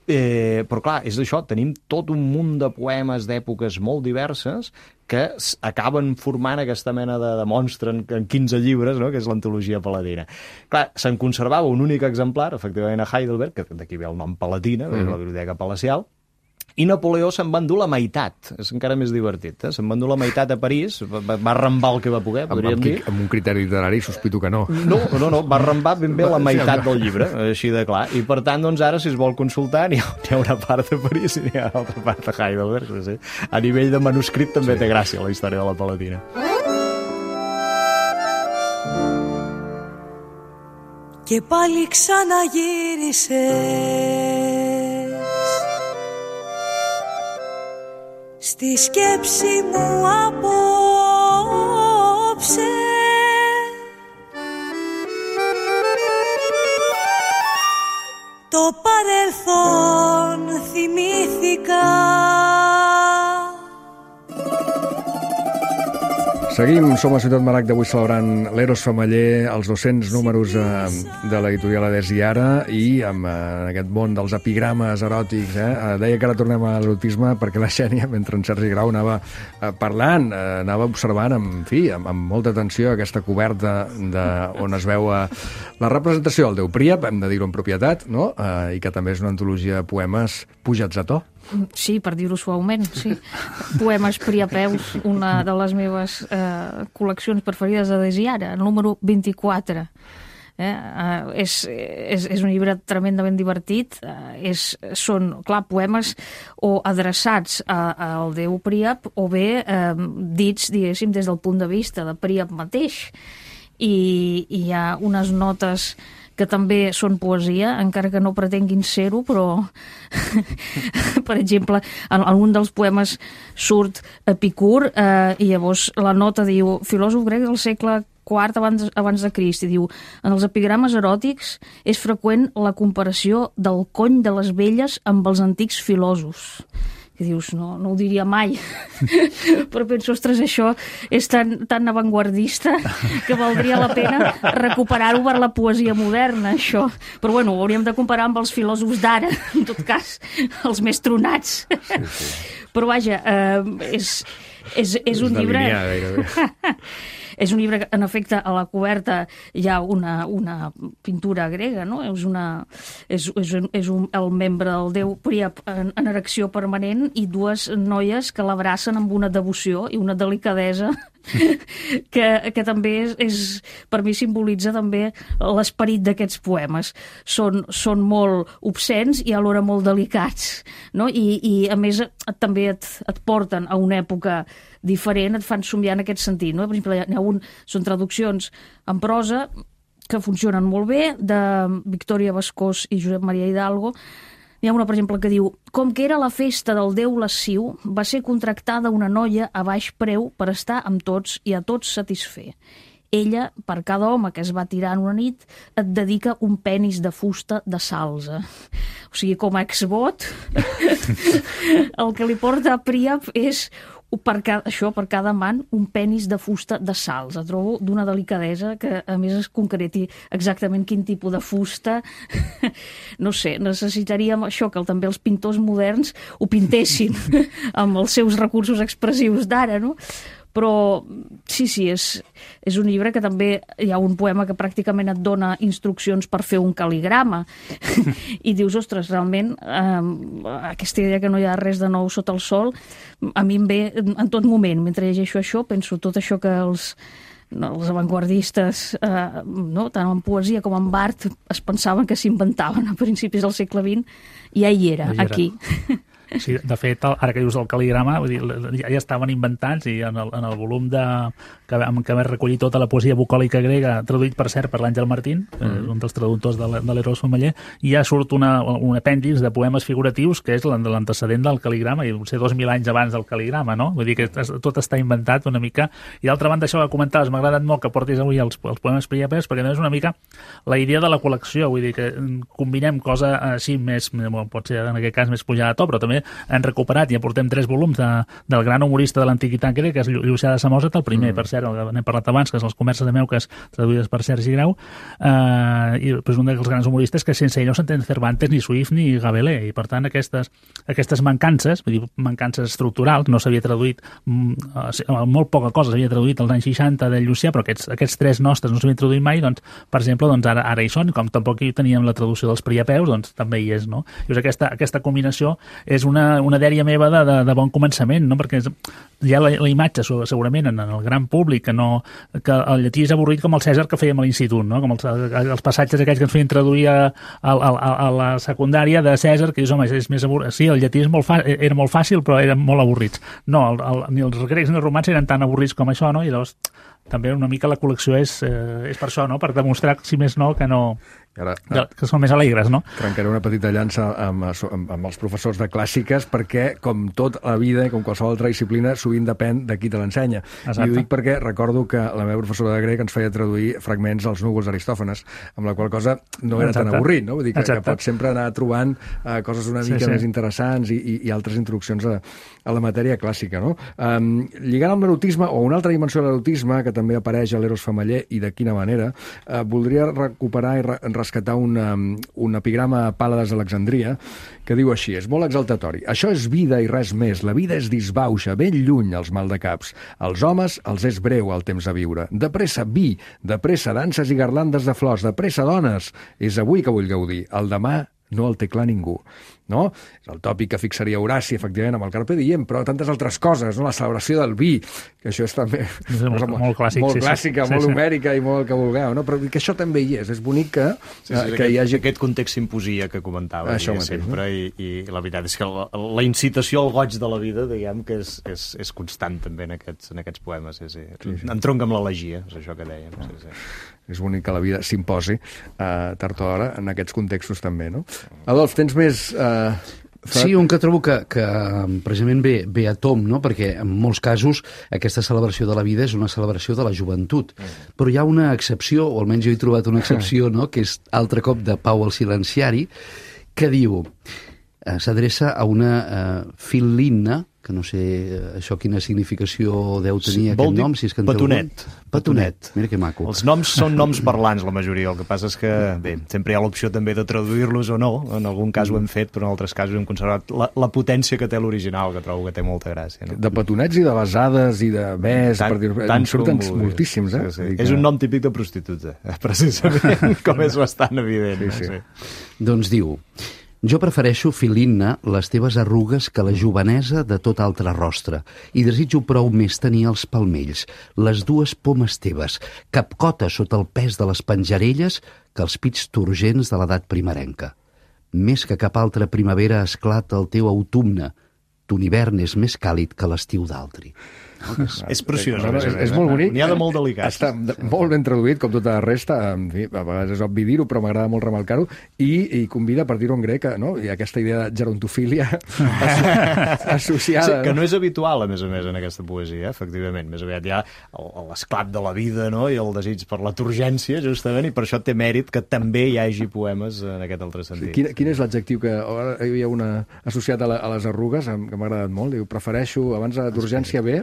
Però clar, és això, tenim tot un munt de poemes d'èpoques molt diverses que acaben formant aquesta mena de monstre en 15 llibres, no? Que és l'antologia palatina. Clar, se'n conservava un únic exemplar, efectivament a Heidelberg, que d'aquí ve el nom Palatina, la Biblioteca Palacial, i Napoleó se'n va endur la meitat. És encara més divertit, eh? Se'n va endur la meitat a París, va arrambar el que va poder, podríem dir. Amb un criteri literari sospito que no. No, va arrambar ben bé la meitat del llibre, així de clar. I per tant, doncs ara, si es vol consultar, n'hi ha una part de París i n'hi ha una altra part de Heidelberg. Sí. A nivell de manuscrit també té gràcia la història de la Palatina. Και πάλι ξαναγύρισες στη σκέψη μου απόψε. Το παρελθόν θυμήθηκα. Seguim, som a Ciutat Maragda avui celebrant l'Eros Femeller, els 200 números de l'editorial Adés i Ara, i amb aquest món dels epigrames eròtics. Deia que ara tornem a l'erotisme perquè la Xènia, mentre en Sergi Grau anava parlant, anava observant, amb molta atenció aquesta coberta on es veu la representació del déu Príap, hem de dir-ho en propietat, no? I que també és una antologia de poemes pujats a to. Sí, per dir-ho suaument, sí. Poemes priapeus, una de les meves col·leccions preferides d'Adés i Ara, el número 24. És un llibre tremendament divertit. Són, clar, poemes o adreçats al déu Príap o bé dits, diguéssim, des del punt de vista de Príap mateix. I hi ha unes notes que també són poesia, encara que no pretenguin ser-ho, però, per exemple, en algun dels poemes surt Epicur, i llavors la nota diu, filòsof grec del segle IV abans de Crist, i diu, en els epigrames eròtics és freqüent la comparació del cony de les velles amb els antics filòsofs. I dius, no ho diria mai, però penso, ostres, això és tan avantguardista que valdria la pena recuperar-ho per la poesia moderna, això. Però bueno, ho hauríem de comparar amb els filòsofs d'ara, en tot cas, els més tronats. Sí. Però vaja, és un llibre... És un llibre que, en efecte, a la coberta hi ha una pintura grega, no? És el membre del déu Príap en erecció permanent i dues noies que l'abracen amb una devoció i una delicadesa que també per mi simbolitza també l'esperit d'aquests poemes. Són molt obscens i alhora molt delicats, no? I a més també et porten a una època diferent, et fan somiar en aquest sentit, no? Per exemple, són traduccions en prosa que funcionen molt bé, de Victòria Bascós i Josep Maria Hidalgo. N'hi ha una, per exemple, que diu: com que era la festa del déu lasciu, va ser contractada una noia a baix preu per estar amb tots i a tots satisfer. Ella, per cada home que es va tirar en una nit, et dedica un penis de fusta de salze. O sigui, com a exvot, el que li porta a Príap és per cada amant un penis de fusta de salze. Trobo d'una delicadesa que a més es concreti exactament quin tipus de fusta. No sé, necessitaríem això, que també els pintors moderns ho pintessin amb els seus recursos expressius d'ara, no? Però sí, és un llibre que també hi ha un poema que pràcticament et dona instruccions per fer un cal·ligrama i dius, ostres, realment aquesta idea que no hi ha res de nou sota el sol a mi em ve en tot moment. Mentre llegeixo això, penso tot això que els avantguardistes, tant en poesia com en art, es pensaven que s'inventaven a principis del segle XX, i ja hi era, aquí. Sí, de fet, ara que dius el cal·ligrama, vull dir, ja estaven inventats, i en el volum que que va recollir tota la poesia bucòlica grega, traduït, per cert, per l'Àngel Martín, un dels traductors de l'Eros Femeller, i ja surt un apèndix de poemes figuratius que és l'antecedent del cal·ligrama, i potser 2.000 anys abans del cal·ligrama, no? Vull dir que tot està inventat una mica. I d'altra banda, això que comentaves, m'ha agradat molt que portis avui els poemes priapers, perquè és una mica la idea de la col·lecció, vull dir que combinem cosa així més, pot ser en aquest cas més pujada a to, però també hem recuperat i aportem 3 volums del gran humorista de l'antiguitat grega, que és Llucià de Samòsat, el primer, per cert, n'hem parlat abans, que és Les converses de Meuques, traduïdes per Sergi Grau, i és un dels grans humoristes que sense ell no s'entén Cervantes, ni Swift, ni Rabelais, i per tant aquestes mancances, vull dir, mancances estructurals, no s'havia traduït, molt poca cosa s'havia traduït als anys 60 del Llucià, però aquests 3 nostres no s'havien traduït mai, doncs, per exemple, doncs ara hi són, com tampoc hi teníem la traducció dels Priapeus, doncs també hi és, no? I aquesta combinació és una dèria meva de bon començament, no? Perquè hi ha la imatge, segurament, en el gran públic, que el llatí és avorrit com el Cèsar que fèiem a l'institut, no? Com els passatges aquells que ens feien traduir a la secundària de Cèsar, que dius, home, és més avorrit. Sí, el llatí era molt fàcil, però eren molt avorrits. No, ni els grecs ni els romans eren tan avorrits com això, no? I llavors també una mica la col·lecció és per això, no? Per demostrar, si més no, que no... que són més alegres, no? Trencaré una petita llança amb els professors de clàssiques, perquè, com tot la vida i com qualsevol altra disciplina, sovint depèn de qui te l'ensenya. I ho dic perquè recordo que la meva professora de grec ens feia traduir fragments als núvols d'Aristòfanes, amb la qual cosa no era tan avorrit, no? Vull dir que pots sempre anar trobant coses una mica més interessants i altres introduccions a la matèria clàssica, no? Lligant amb l'erotisme, o una altra dimensió de l'erotisme, que també apareix a l'Eros Femeller, i de quina manera, voldria recuperar i rescatar un epigrama a Pàlades d'Alexandria que diu així: és molt exaltatori. Això és vida i res més. La vida és disbauxa, ben lluny els maldecaps. Els homes els és breu el temps a viure. De pressa vi, de pressa danses i garlandes de flors, de pressa dones. És avui que vull gaudir. El demà no el té clar ningú. No? És el tòpic que fixaria Horaci, efectivament, amb el Carpe Diem, però tantes altres coses, no? La celebració del vi, que això és també molt clàssic, molt clàssica, molt homèrica i molt que vulgueu, no? Però que això també hi és bonic que hi hagi... Aquest context s'imposia que comentava sempre, i la veritat és que la incitació al goig de la vida, diguem, que és constant també en aquests poemes. Entronca amb l'elegia, és això que dèiem. És bonic que la vida s'imposi tard o d'hora en aquests contextos també, no? Adolf, tens més... Sí, un que trobo que precisament ve a tom, no? Perquè en molts casos aquesta celebració de la vida és una celebració de la joventut. Però hi ha una excepció, o almenys jo he trobat una excepció, no? Que és altre cop de Pau el Silenciari, que diu, s'adreça a una fil·linna, que no sé això quina significació deu tenir aquest nom, si és que en Petonet. Petonet, mira que maco. Els noms són noms parlants, la majoria. El que passa és que, bé, sempre hi ha l'opció també de traduir-los o no. En algun cas ho hem fet, però en altres casos hem conservat la potència que té l'original, que trobo que té molta gràcia. No? De petonets i de besades i de bes, tant surten moltíssims, eh? Sí. És un nom típic de prostituta, precisament, com és bastant evident. Sí. Doncs diu... Jo prefereixo, Filinna, les teves arrugues que la jovenesa de tot altre rostre, i desitjo prou més tenir els palmells, les dues pomes teves, capcota sota el pes de les penjarelles que els pits turgents de l'edat primerenca. Més que cap altra primavera esclata el teu autumne, ton hivern és més càlid que l'estiu d'altri. És preciós. És molt bonic. N'hi ha de molt delicats. Està molt ben traduït, com tota la resta. En fi, a vegades és obvi dir-ho, però m'agrada molt remarcar-ho. I convida, per dir-ho en grec, no? I aquesta idea de gerontofília associada. Sí, que no és habitual, a més, en aquesta poesia, efectivament. Més aviat hi ha l'esclat de la vida, no? I el desig per la turgència, justament, i per això té mèrit que també hi hagi poemes en aquest altre sentit. Quin és l'adjectiu que ara hi havia una associat a les arrugues, que m'ha agradat molt? Diu, prefereixo, abans de turgència bé...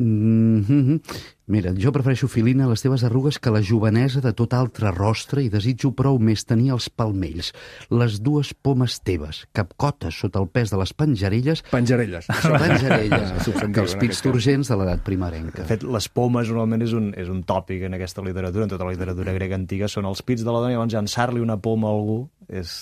Mira, jo prefereixo, Filina, les teves arrugues que la jovenesa de tot altre rostre, i desitjo prou més tenir els palmells, les dues pomes teves, capcotes sota el pes de les penjarelles... Penjarelles. Que els pits turgents de l'edat primerenca. De fet, les pomes normalment és un tòpic en aquesta literatura, en tota la literatura grega antiga, són els pits de la dona, i llavors llançar-li una poma a algú és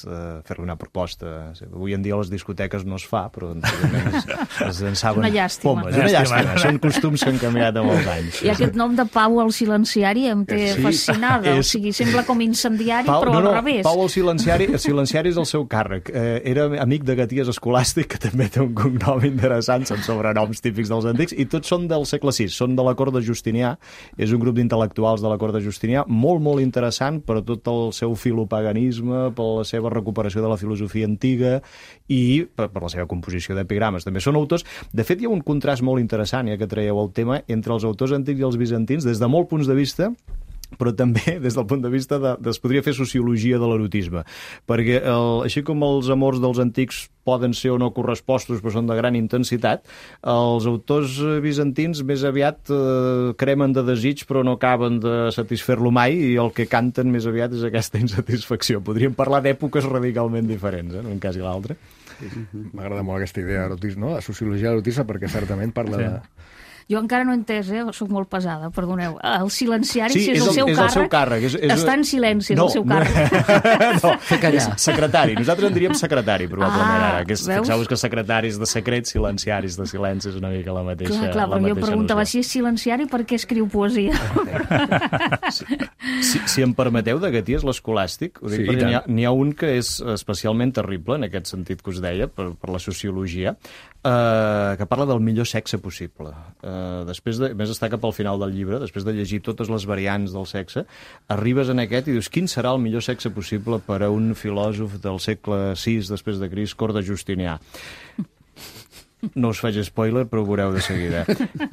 fer-li una proposta. Avui en dia a les discoteques no es fa, però es llançaven una llàstima. pomes. Una llàstima. Són costums que han canviat amb els anys. I aquest nom de Pau el Silenciari em té fascinada. O sigui, sembla com incendiari, però al revés. Pau el Silenciari és el seu càrrec. Era amic de Gaties Escolàstic, que també té un cognom interessant, són sobrenoms típics dels antics, i tots són del segle VI, són de la cort de Justinià, és un grup d'intel·lectuals de la cort de Justinià, molt, molt interessant per tot el seu filopaganisme, per la seva recuperació de la filosofia antiga i per la seva composició d'epigrames. També són autors. De fet, hi ha un contrast molt interessant, ja que traieu el tema, entre els autors antics i els bizantins, des de molts punts de vista, però també des del punt de vista es podria fer sociologia de l'erotisme, perquè així com els amors dels antics poden ser o no correspostos, però són de gran intensitat, els autors bizantins més aviat cremen de desig, però no acaben de satisfer-lo mai, i el que canten més aviat és aquesta insatisfacció. Podríem parlar d'èpoques radicalment diferents, en un cas i l'altre. M'agrada molt aquesta idea d'erotisme, de sociologia de l'erotisme, perquè certament parla de... Jo encara no he entès, soc molt pesada, perdoneu. El silenciari, si és el seu càrrec, el seu càrrec. Està en silenci, és el seu càrrec. No, secretari. Nosaltres en diríem secretari, probablement, ara. Fixeu-vos que secretaris de secret, silenciaris de silenci, és una mica la mateixa Clar, però jo preguntava si és silenciari, per què escriu poesia? Si em permeteu, de Gaties l'Escolàstic, ho dic perquè n'hi ha un que és especialment terrible, en aquest sentit que us deia, per la sociologia, que parla del millor sexe possible. Més està cap al final del llibre, després de llegir totes les variants del sexe, arribes en aquest i dius, quin serà el millor sexe possible per a un filòsof del segle VI després de Crist, cort de Justinià? No us faig spoiler, però ho veureu de seguida.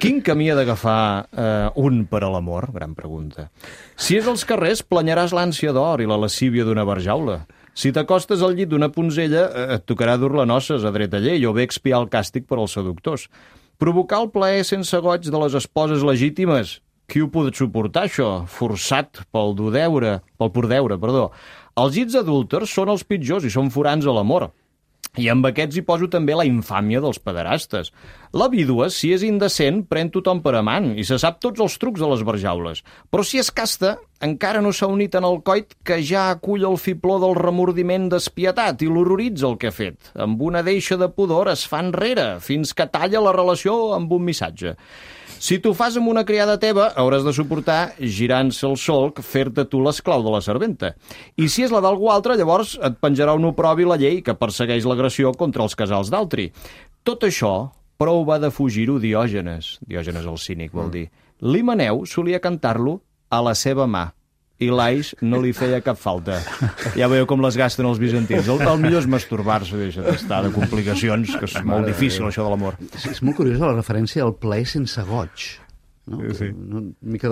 Quin camí ha d'agafar un per a l'amor? Gran pregunta. Si és als carrers, planyaràs l'ànsia d'or i la lascívia d'una barjaula. Si t'acostes al llit d'una ponzella, et tocarà dur-la noces a dreta llei o bé expiar el càstig per als seductors. Provocar el plaer sense goig de les esposes legítimes. Qui ho pot suportar, això? Forçat pel pur deure, perdó. Els llits adúlters són els pitjors i són forans a l'amor. I amb aquests hi poso també la infàmia dels pederastes. La vídua, si és indecent, pren tothom per amant i se sap tots els trucs de les barjaules. Però si és casta, encara no s'ha unit en el coit que ja acull el fibló del remordiment despietat i l'horroritza el que ha fet. Amb una deixa de pudor es fa enrere, fins que talla la relació amb un missatge. Si t'ho fas amb una criada teva, hauràs de suportar, girant-se el solc, fer-te tu l'esclau de la serventa. I si és la d'algú altre, llavors et penjarà un oprobi la llei que persegueix l'agressió contra els casals d'altri. Tot això, prou va de fugir-ho Diògenes. Diògenes el cínic, vol dir. L'Himeneu solia cantar-lo a la seva mà, i l'Ais no li feia cap falta. Ja veieu com les gasten els bizantins. El millor és masturbar-se, deixa d'estar de complicacions, que és molt difícil, això de l'amor. És molt curiosa la referència al plaer sense goig. No? Sí.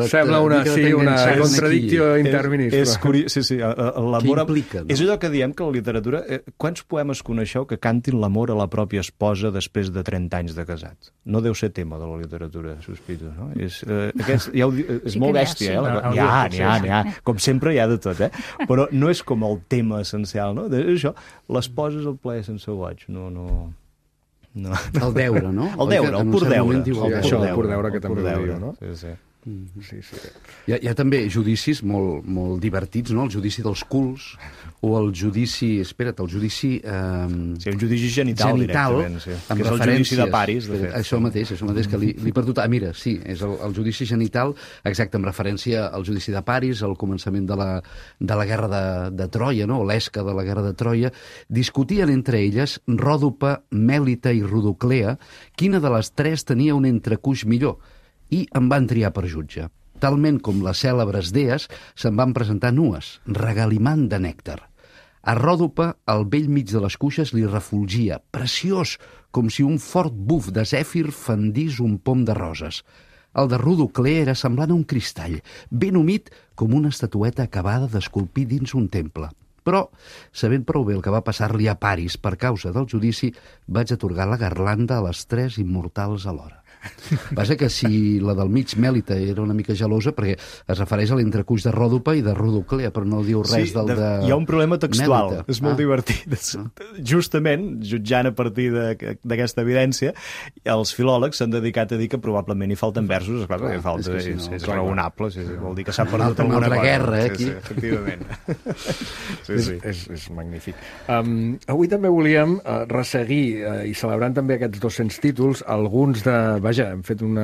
Sembla una contradicció interminista. És curiós, sí. L'amor implica, no? És allò que diem que la literatura... Quants poemes coneixeu que cantin l'amor a la pròpia esposa després de 30 anys de casat? No deu ser tema de la literatura, sospito, no? És molt bèstia, N'hi ha. Com sempre hi ha de tot, Però no és com el tema essencial, no? Això, l'esposa és el plaer sense goig, no... El deure, no? El deure, el pur deure. El pur deure, que també ho diu, no? Sí. Sí. Hi ha també judicis molt divertits, no? El judici dels culs, o el judici... el judici... Sí, un judici genital directament, sí. Que és el judici de Paris, de fet. Això mateix que li he perdut... mira, sí, és el judici genital, exacte, amb referència al judici de Paris, al començament de la guerra de Troia, no? L'esca de la guerra de Troia. Discutien entre elles Ròdope, Mèlita i Rodoclea quina de les tres tenia un entrecuix millor, i em van triar per jutge. Talment com les cèlebres dees, se'n van presentar nues, regalimant de nèctar. A Ròdope, al bell mig de les cuixes, li refulgia, preciós, com si un fort buf de zèfir fendís un pom de roses. El de Rodoclea era semblant a un cristall, ben humit com una estatueta acabada d'esculpir dins un temple. Però, sabent prou bé el que va passar-li a Paris per causa del judici, vaig atorgar la garlanda a les tres immortals alhora. Passa que si la del mig, Mèlita, era una mica gelosa, perquè es refereix a l'entrecuix de Ròdope i de Rodoclea, però no diu res del de hi ha un problema textual, Mèlita. és molt divertit. Justament, jutjant a partir d'aquesta evidència, els filòlegs s'han dedicat a dir que probablement hi falten versos, esclar, perquè falta, és raonable, vol dir que s'ha perdut alguna cosa. Guerra, aquí. Sí, efectivament. És magnífic. Avui també volíem resseguir i celebrant també aquests 200 títols, alguns de... Vaja, hem fet un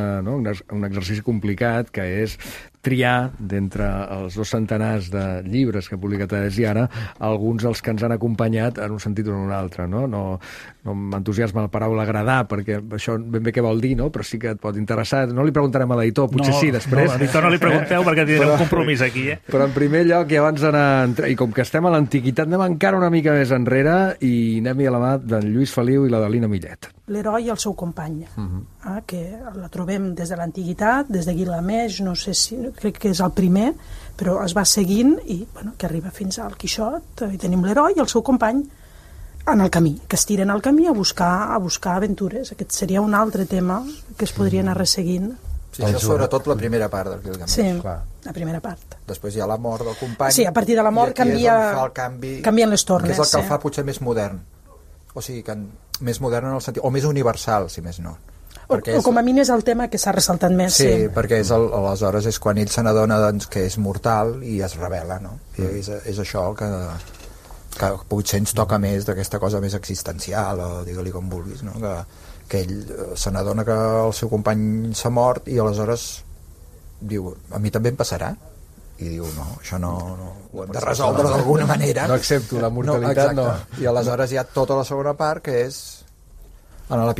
exercici complicat, que és triar d'entre els 2 centenars de llibres que ha publicat Adés i Ara, alguns dels que ens han acompanyat en un sentit o en un altre, no? No m'entusiasma la paraula agradar, perquè això ben bé què vol dir, no? Però sí que et pot interessar. No li preguntarem a l'editor, potser sí, després. No, a l'editor no li pregunteu perquè tindrem un compromís aquí, Però en primer lloc, i abans d'anar... I com que estem a l'antiguitat, anem encara una mica més enrere i anem a la mà d'en Lluís Feliu i la d'Alina Millet. L'heroi i el seu company, que la trobem des de l'antiguitat, des de Guilgameix, no sé si... crec que és el primer, però es va seguint i que arriba fins al Quixot, i tenim l'heroi i el seu company en el camí, que es tiren al camí a buscar aventures. Aquest seria un altre tema que es podria anar resseguint. Sí, això és sobretot la primera part del Guilgameix. Sí, la primera part. Després hi ha la mort del company. Sí, a partir de la mort canvien les tornes. Que és el que el fa potser més modern. O sigui, més modern en el sentit... O més universal, si més no. O com a mínim és el tema que s'ha ressaltat més. Sí, perquè aleshores és quan ell se n'adona que és mortal i es rebel·la, no? I és això el que potser ens toca més d'aquesta cosa més existencial, o digue-li com vulguis, no? Que ell se n'adona que el seu company s'ha mort i aleshores diu, a mi també em passarà? I diu, no, això no ho hem de resoldre d'alguna manera. No accepto la mortalitat, no. I aleshores hi ha tota la segona part, que és en la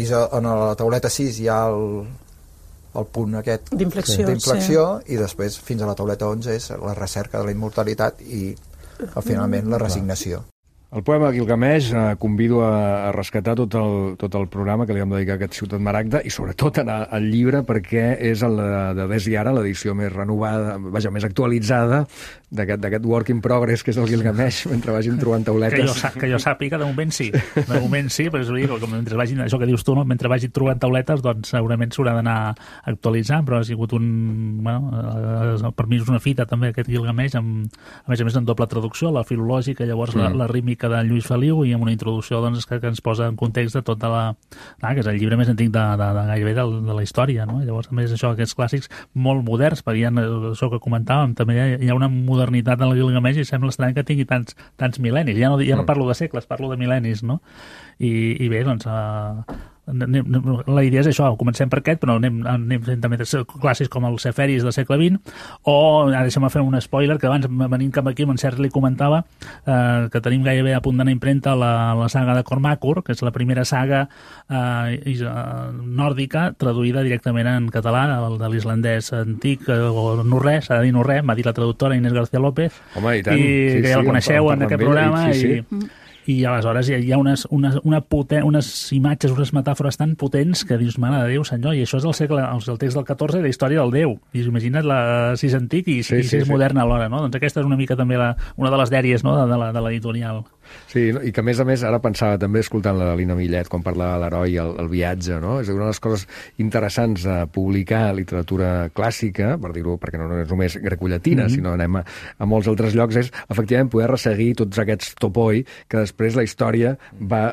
tauleta 6 hi ha el punt aquest d'inflexió, i després fins a la tauleta 11 és la recerca de la immortalitat i finalment la resignació. El poema Guilgameix convido a rescatar tot el programa que li vam dedicar a aquest Ciutat Maragda i sobretot anar al llibre perquè és el d'Adés i Ara, l'edició més renovada, vaja, més actualitzada d'aquest work in progress que és el Guilgameix, mentre vagin trobant tauletes. Que jo sàpiga, de moment sí. De moment sí, però és dir, mentre vagin, això que dius tu, no? Mentre vagin trobant tauletes, doncs segurament s'haurà d'anar actualitzant, però ha sigut per mi és una fita també aquest Guilgameix, a més en doble traducció, la filològica, llavors la rítmica de Lluís Feliu i amb una introducció doncs, que ens posa en context de tota que és el llibre més antic de gairebé de la història, no? Llavors, a més, això, aquests clàssics molt moderns, perquè això que comentàvem, també hi ha una modernitat en el Guilgameix i sembla estrany que tingui tants mil·lennis. Ja no parlo de segles, parlo de mil·lennis, no? I bé, doncs... la idea és això, comencem per aquest, però anem fent també clàssics com els Seferis del segle XX, o ara deixa'm fer un spoiler, que abans venint cap aquí, en Sergi li comentava que tenim gairebé a punt d'anar impremta la saga de Cormacur, que és la primera saga nòrdica traduïda directament en català, de l'islandès antic, o norrè, s'ha de dir norrè, m'ha dit la traductora Inés García López. Home, i tant. I que ja el coneixeu en aquest programa, i aleshores hi ha unes imatges, unes metàfores tan potents que dius, mare de Déu, senyor, i això és el text del 14 i la història del Déu. I imagina't si és antic i si és modern alhora, no? Doncs aquesta és una mica també una de les dèries, no?, de l'editorial. Sí, i que a més ara pensava també escoltant la Lina Millet quan parlava de l'heroi i el viatge, no? És una de les coses interessants de publicar literatura clàssica, per dir-ho, perquè no és només grecollatina, sinó anem a molts altres llocs, és efectivament poder resseguir tots aquests topoi que després la història va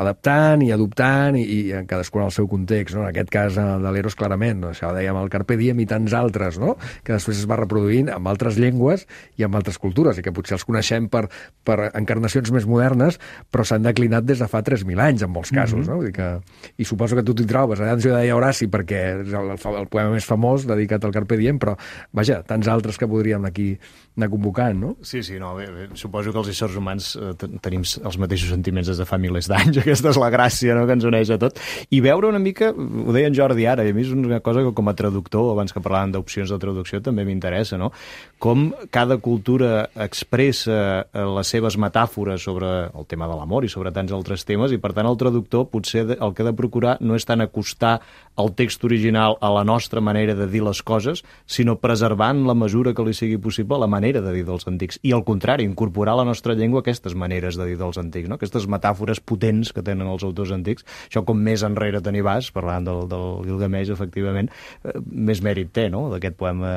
adaptant i adoptant i cadascun al seu context, no? En aquest cas de l'Eros clarament, no? Això dèiem el Carpe Diem i tants altres, no? Que després es va reproduint amb altres llengües i amb altres cultures i que potser els coneixem per encarnacions més modernes, però s'han declinat des de fa 3.000 anys, en molts casos, no? Vull dir que... I suposo que tu t'hi trobes. Abans jo deia Horaci perquè és el poema més famós dedicat al Carpe Diem, però, vaja, tants altres que podríem aquí anar convocant, no? Sí, no, bé, suposo que els éssers humans tenim els mateixos sentiments des de fa milers d'anys. Aquesta és la gràcia, no?, que ens uneix a tot. I veure una mica, ho deia en Jordi ara, i a mi és una cosa que com a traductor, abans que parlàvem d'opcions de traducció, també m'interessa, no? Com cada cultura expressa les seves metàfores sobre el tema de l'amor i sobre tants altres temes, i per tant el traductor potser el que ha de procurar no és tant acostar el text original a la nostra manera de dir les coses, sinó preservant la mesura que li sigui possible la manera de dir dels antics, i al contrari, incorporar a la nostra llengua aquestes maneres de dir dels antics, no? Aquestes metàfores potents que tenen els autors antics. Això, com més enrere te n'hi vas, parlant del Gilgamesh, efectivament, més mèrit té, no?, d'aquest poema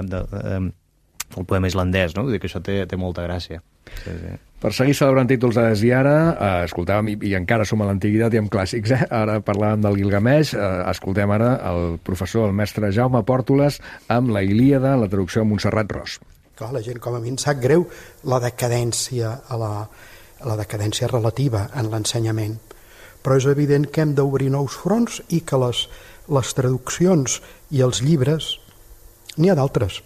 el poema islandès, no? Vull dir que això té molta gràcia. Sí. Per seguir celebrant títols de Des i Ara, escoltàvem, i encara som a l'antiguitat i amb clàssics, ara parlàvem del Gilgamesh, escoltem ara el professor, el mestre Jaume Pòrtoles, amb la Ilíada, la traducció de Montserrat Ros. Clar, la gent com a mi em sap greu la decadència, la decadència relativa en l'ensenyament, però és evident que hem d'obrir nous fronts i que les traduccions i els llibres, n'hi ha d'altres.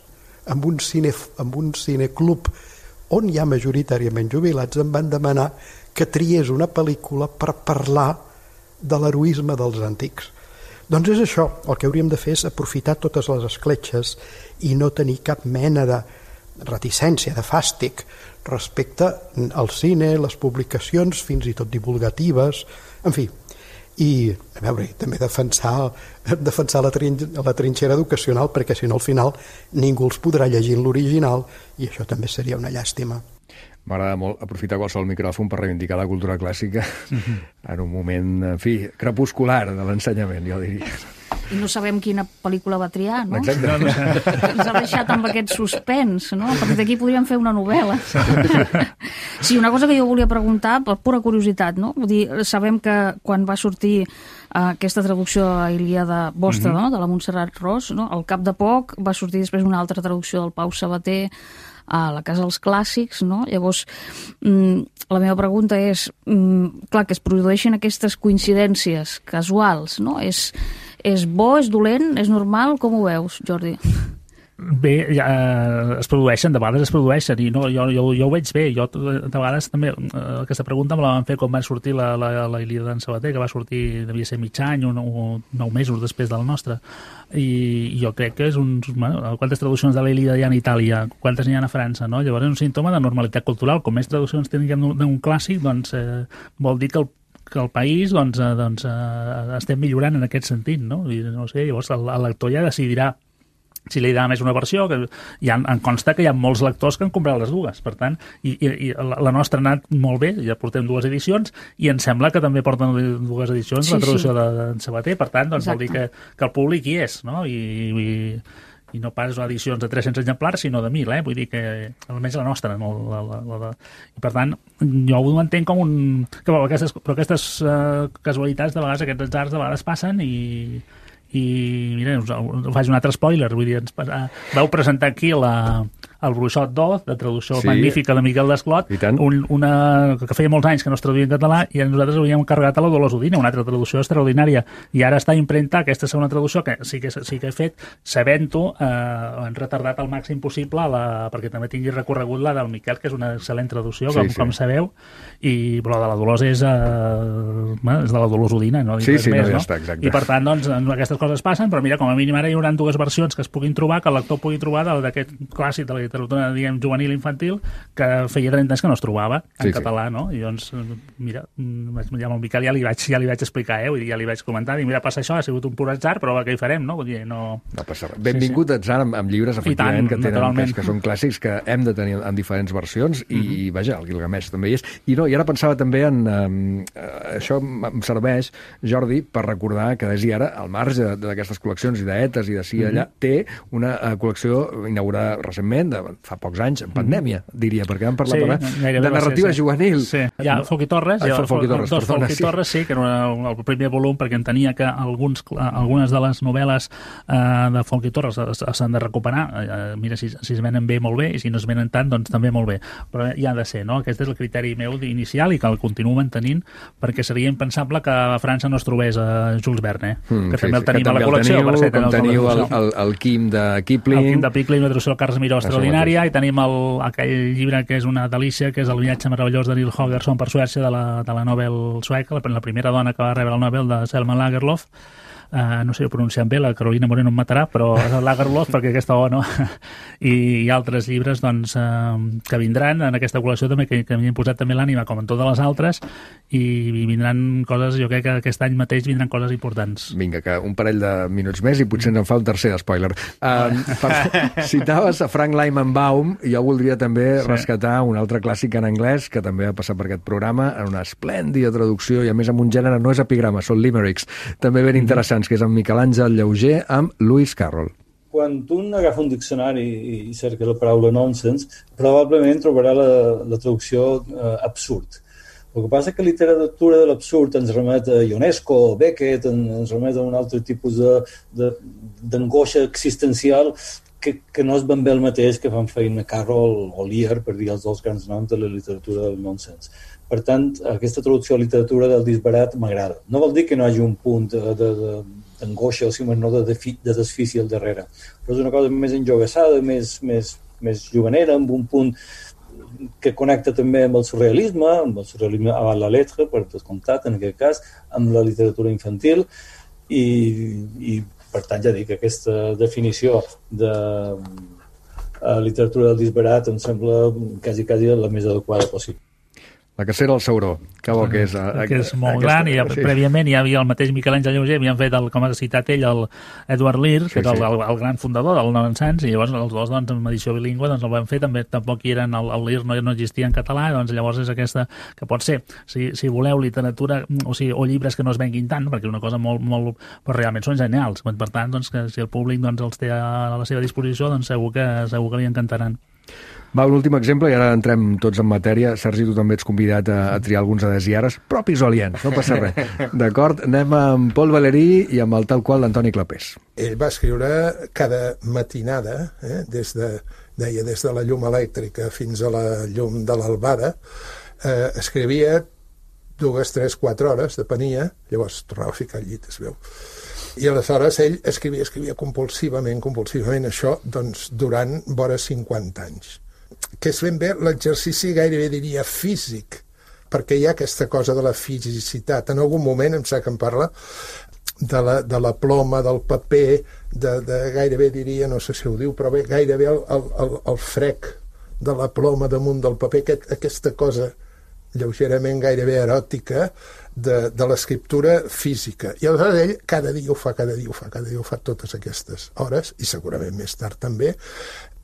Amb un cineclub on hi ha majoritàriament jubilats em van demanar que triés una pel·lícula per parlar de l'heroisme dels antics. Doncs és això, el que hauríem de fer és aprofitar totes les escletxes i no tenir cap mena de reticència, de fàstic respecte al cine, les publicacions, fins i tot divulgatives, en fi. I, a veure, també defensar la trinxera educacional, perquè si no al final ningú els podrà llegir en l'original i això també seria una llàstima. M'agrada molt aprofitar qualsevol micròfon per reivindicar la cultura clàssica en un moment, en fi, crepuscular de l'ensenyament, jo diria. I no sabem quina pel·lícula va triar, no? Exacte. Ens ha deixat amb aquest suspens, no? A partir d'aquí podríem fer una novel·la. Sí, una cosa que jo volia preguntar, per pura curiositat, no? Vull dir, sabem que quan va sortir aquesta traducció a Ilíada vostra, no?, de la Montserrat Ros, no?, al cap de poc va sortir després una altra traducció del Pau Sabater a la Casa dels Clàssics, no? Llavors, la meva pregunta és, clar, que es produeixen aquestes coincidències casuals, no? És bo, és dolent, és normal? Com ho veus, Jordi? Bé, es produeixen, de vegades es produeixen, i no, jo ho veig bé. Jo, de vegades, també, aquesta pregunta me la van fer quan va sortir la Ilíada d'en Sabater, que va sortir, devia ser mig any o 9 mesos després de la nostra. I jo crec que és quantes traduccions de la Ilíada hi ha en Itàlia, quantes n'hi ha a França, no? Llavors és un símptoma de normalitat cultural. Com més traduccions tinguem d'un clàssic, doncs vol dir que el país estem millorant en aquest sentit, no? I, no sé, llavors el lector ja decidirà si li agrada més una versió, que em consta que hi ha molts lectors que han comprat les dues, per tant, i la nostra ha anat molt bé, ja portem 2 edicions, i em sembla que també porten 2 edicions la traducció d'en Sabater, per tant, doncs vol dir que el públic hi és, no? I no pas edicions de 300 exemplars, sinó de 1.000, vull dir que almenys la nostra, no? I per tant, jo ho entenc com però aquestes casualitats, de vegades, aquests atzars, de vegades passen i mira, us faig un altre spoiler, vull dir, vau presentar aquí el Bruixot d'Oz, de traducció magnífica de Miquel Desclot, una que feia molts anys que no es traduïa en català, i nosaltres havíem carregat a la Dolors Udina, una altra traducció extraordinària, i ara està impremta aquesta segona traducció, que sí que he fet, sabent-ho, han retardat al màxim possible perquè també tingui recorregut la del Miquel, que és una excel·lent traducció, com sabeu, però la de la Dolors és de la Dolors Udina, no? Sí, no, ja està, exacte. I per tant, doncs, aquestes coses passen, però mira, com a mínim ara hi haurà 2 versions que es puguin trobar, que el lector pugui trobar d'aquest clàssic de la literatura, diguem, juvenil infantil, que feia 30 anys que no es trobava en català, no? I doncs, mira, ja amb el Miquel ja li vaig explicar, ja li vaig comentar, i mira, passa això, ha sigut un pur atzar, però què hi farem, no? Vull dir, no passa res. Benvingut atzar amb llibres, efectivament, que són clàssics, que hem de tenir en diferents versions, i vaja, el Gilgamesh també hi és. I ara pensava també en... Això em serveix, Jordi, per recordar que des i ara, al marge d'aquestes col·leccions i d'etes i d'ací i allà, té una col·lecció inaugurada recentment, fa pocs anys, en pandèmia, diria, perquè vam parlar de narrativa juvenil. Sí, hi ha Folch i Torres, sí, que era el primer volum, perquè entenia que algunes de les novel·les de Folch i Torres s'han de recuperar. Mira, si es venen bé, molt bé, i si no es venen tant, doncs també molt bé. Però hi ha de ser, no? Aquest és el criteri meu inicial i que el continuo mantenint, perquè seria impensable que a França no es trobés a Jules Verne, que també el tenim a la col·lecció. Com teniu el Quim de Kipling. El Quim de Kipling, una traducció del Carles Miró extraordinària, i tenim aquell llibre que és una delícia, que és El viatge meravellós de Nils Holgersson per Suècia, de la Nobel sueca, la primera dona que va rebre el Nobel, de Selma Lagerlöf. no sé pronunciar bé, la Carolina Moreno em matarà, però l'Agarlof, perquè aquesta O, no? I altres llibres doncs, que vindran en aquesta col·lecció també, que m'hi han posat també l'ànima, com en totes les altres, i vindran coses, jo crec que aquest any mateix vindran coses importants. Vinga, que un parell de minuts més i potser ens en fa un tercer spoiler. Citaves a Frank Leimenbaum, i jo voldria també rescatar un altre clàssic en anglès que també ha passat per aquest programa en una esplèndida traducció, i a més amb un gènere no és epigrama, són limericks, també ben interessants, que és amb Miquel Àngel Llauger amb Lewis Carroll. Quan un agafa un diccionari i cerca la paraula nonsense, probablement trobarà la traducció absurd. El que passa és que la literatura de l'absurd ens remet a Ionesco, Beckett, ens remet a un altre tipus d'angoixa existencial que no és ben bé el mateix que fan feina Carroll o Lear, per dir els dos grans noms de la literatura del nonsense. Per tant, aquesta traducció a literatura del disbarat m'agrada. No vol dir que no hi hagi un punt d'angoixa o si més no de desfici al darrere, però és una cosa més enjogassada, més juganera, amb un punt que connecta també amb el surrealisme a la letra, per descomptat, en aquest cas, amb la literatura infantil, i per tant, ja dic, aquesta definició de literatura del disbarat em sembla quasi la més adequada possible. La cacera al Sauró, que bo que és. Que és molt gran, i prèviament hi havia el mateix Miquel Àngel Llauger, havien fet, com ha citat ell, el Edward Lear, que era el gran fundador del Nonsense, i llavors els dos, doncs, en edició bilingüe, doncs el van fer, també tampoc hi eren, el Lear no existia en català, doncs llavors és aquesta, que pot ser, si voleu literatura, o llibres que no es venguin tant, perquè és una cosa molt, però realment són genials, per tant, doncs, que si el públic doncs, els té a la seva disposició, doncs segur que li encantaran. Va, un últim exemple, i ara entrem tots en matèria. Sergi, tu també ets convidat a triar alguns adesiares, propis o aliens, no passa res. D'acord? Anem amb Paul Valéry i amb el tal qual d'Antoni Clapés. Ell va escriure cada matinada, des de la llum elèctrica fins a la llum de l'albada, escrivia 2, 3, 4 hores, depenia, llavors tornava a ficar al llit, es veu. I aleshores ell escrivia compulsivament això, doncs, durant vora 50 anys. Que és ben bé l'exercici gairebé diria físic, perquè hi ha aquesta cosa de la fisicitat. En algun moment em sap que em parla de la ploma, del paper, de gairebé diria, no sé si ho diu, però bé, gairebé el frec de la ploma damunt del paper, aquesta cosa lleugerament gairebé eròtica de l'escriptura física. I aleshores ell cada dia ho fa totes aquestes hores, i segurament més tard també,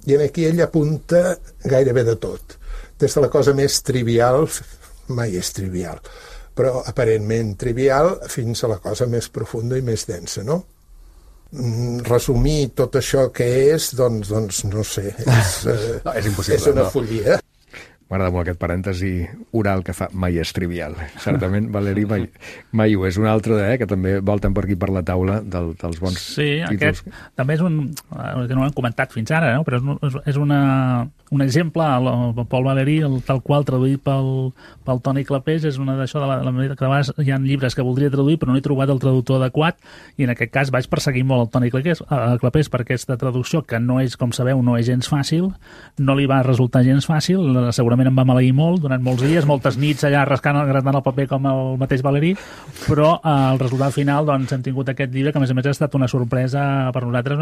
i aquí ell apunta gairebé de tot, des de la cosa més trivial, mai és trivial, però aparentment trivial, fins a la cosa més profunda i més densa, no? Resumir tot això que és, doncs no sé, és impossible, és una follia. M'agrada molt aquest parèntesi oral que fa mai és trivial. Certament, Valéry mai ho és. Un altre, que també volten per aquí per la taula dels bons títols. Aquest també és que no ho hem comentat fins ara, no? Però és un exemple, el Paul Valéry, el tal qual traduït pel Toni Clapés, és una d'això, que a vegades hi ha llibres que voldria traduir però no he trobat el traductor adequat, i en aquest cas vaig perseguir molt el Toni Clapés per aquesta traducció, que no és, com sabeu, no és gens fàcil, no li va resultar gens fàcil, segurament em va maleir molt durant molts dies, moltes nits allà rascant el paper com el mateix Valéry, però el resultat final, doncs, hem tingut aquest llibre que a més ha estat una sorpresa per nosaltres,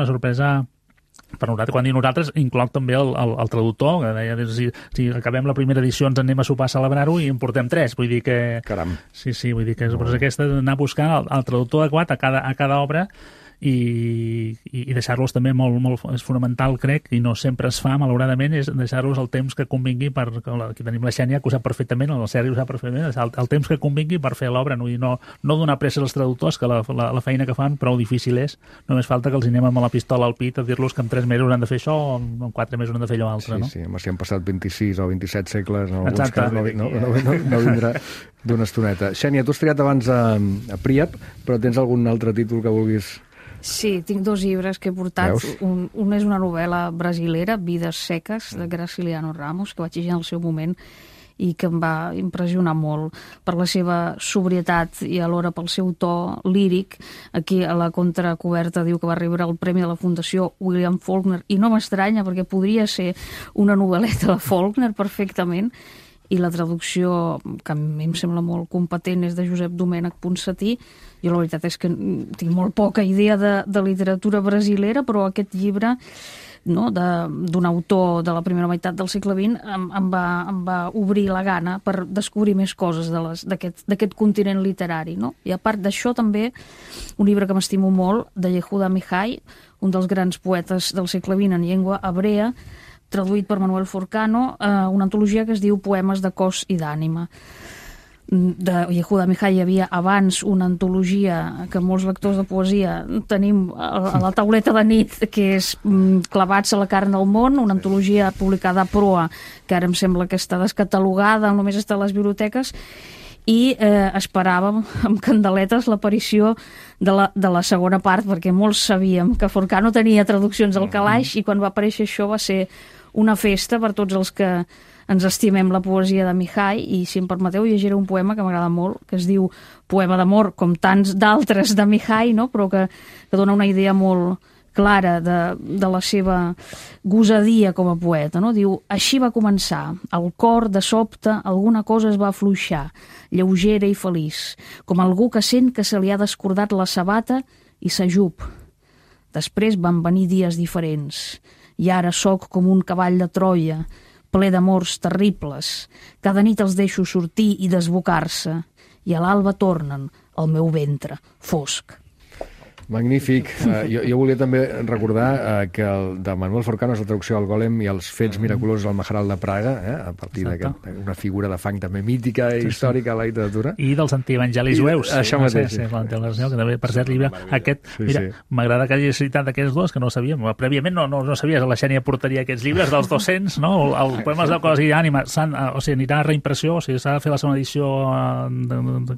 quan dic nosaltres, incloc també el traductor, que deia, si acabem la primera edició ens anem a sopar a celebrar-ho i en portem 3, vull dir que... Caram. Sí, vull dir que és aquesta d'anar buscant el traductor adequat a cada obra, i deixar-los també molt és fonamental, crec, i no sempre es fa, malauradament, és deixar-los el temps que convingui aquí tenim la Xènia, que ho sap perfectament, el Sergi ho sap perfectament, el temps que convingui per fer l'obra, no donar pressa als traductors, que la feina que fan prou difícil és, només falta que els anem amb la pistola al pit a dir-los que en 3 mesos han de fer això o en 4 mesos han de fer allò altre, no? Sí, si han passat 26 o 27 segles, en alguns casos no vindrà d'una estoneta. Xènia, tu has triat abans a Príap, però tens algun altre títol que vulguis... Sí, tinc 2 llibres que he portat. Un és una novel·la brasilera, Vides seques, de Graciliano Ramos, que vaig llegir en el seu moment i que em va impressionar molt per la seva sobrietat i alhora pel seu to líric. Aquí a la contracoberta diu que va rebre el premi de la Fundació William Faulkner, i no m'estranya perquè podria ser una novel·leta de Faulkner perfectament. i la traducció, que a mi em sembla molt competent, és de Josep Domènech Ponsatí. Jo la veritat és que tinc molt poca idea de literatura brasilera, però aquest llibre, no, d'un autor de la primera meitat del segle XX em va obrir la gana per descobrir més coses d'aquest continent literari, no? I a part d'això també un llibre que m'estimo molt, de Yehuda Mihai, un dels grans poetes del segle XX en llengua hebrea, traduït per Manuel Forcano, una antologia que es diu Poemes de cos i d'ànima. De Yehuda Mihai hi havia abans una antologia que molts lectors de poesia tenim a la tauleta de nit, que és Clavats a la carn del món, una antologia publicada a Proa, que ara em sembla que està descatalogada, només està a les biblioteques, i esperàvem amb candeletes l'aparició de la segona part, perquè molts sabíem que Forcano tenia traduccions al calaix, i quan va aparèixer això va ser una festa per tots els que ens estimem la poesia de Mihai, i si em permeteu llegiré un poema que m'agrada molt, que es diu Poema d'amor, com tants d'altres de Mihai, no? Però que dona una idea molt clara de la seva gosadia com a poeta, no? Diu: així va començar, al cor de sobte alguna cosa es va afluixar, lleugera i feliç, com algú que sent que se li ha descordat la sabata i s'ajup. Després van venir dies diferents, i ara sóc com un cavall de Troia, ple d'amors terribles. Cada nit els deixo sortir i desbocar-se, i a l'alba tornen al meu ventre fosc. Magnífic. Jo volia també recordar que el de Manuel Forcano és la traducció del Gòlem i els fets miraculosos al Majoral de Praga, a partir d'una figura de fang també mítica i històrica a la literatura. I dels antievangelis jueus. Això mateix. Sí, que també, per cert, llibre aquest... Mira, m'agrada que hagis citat aquests dos, que no ho sabíem. Prèviament no sabies, la Xènia portaria aquests llibres dels 200, no? Els poemes de cos i ànima, o sigui, anirà a reimpressió, o sigui, s'ha de fer la segona edició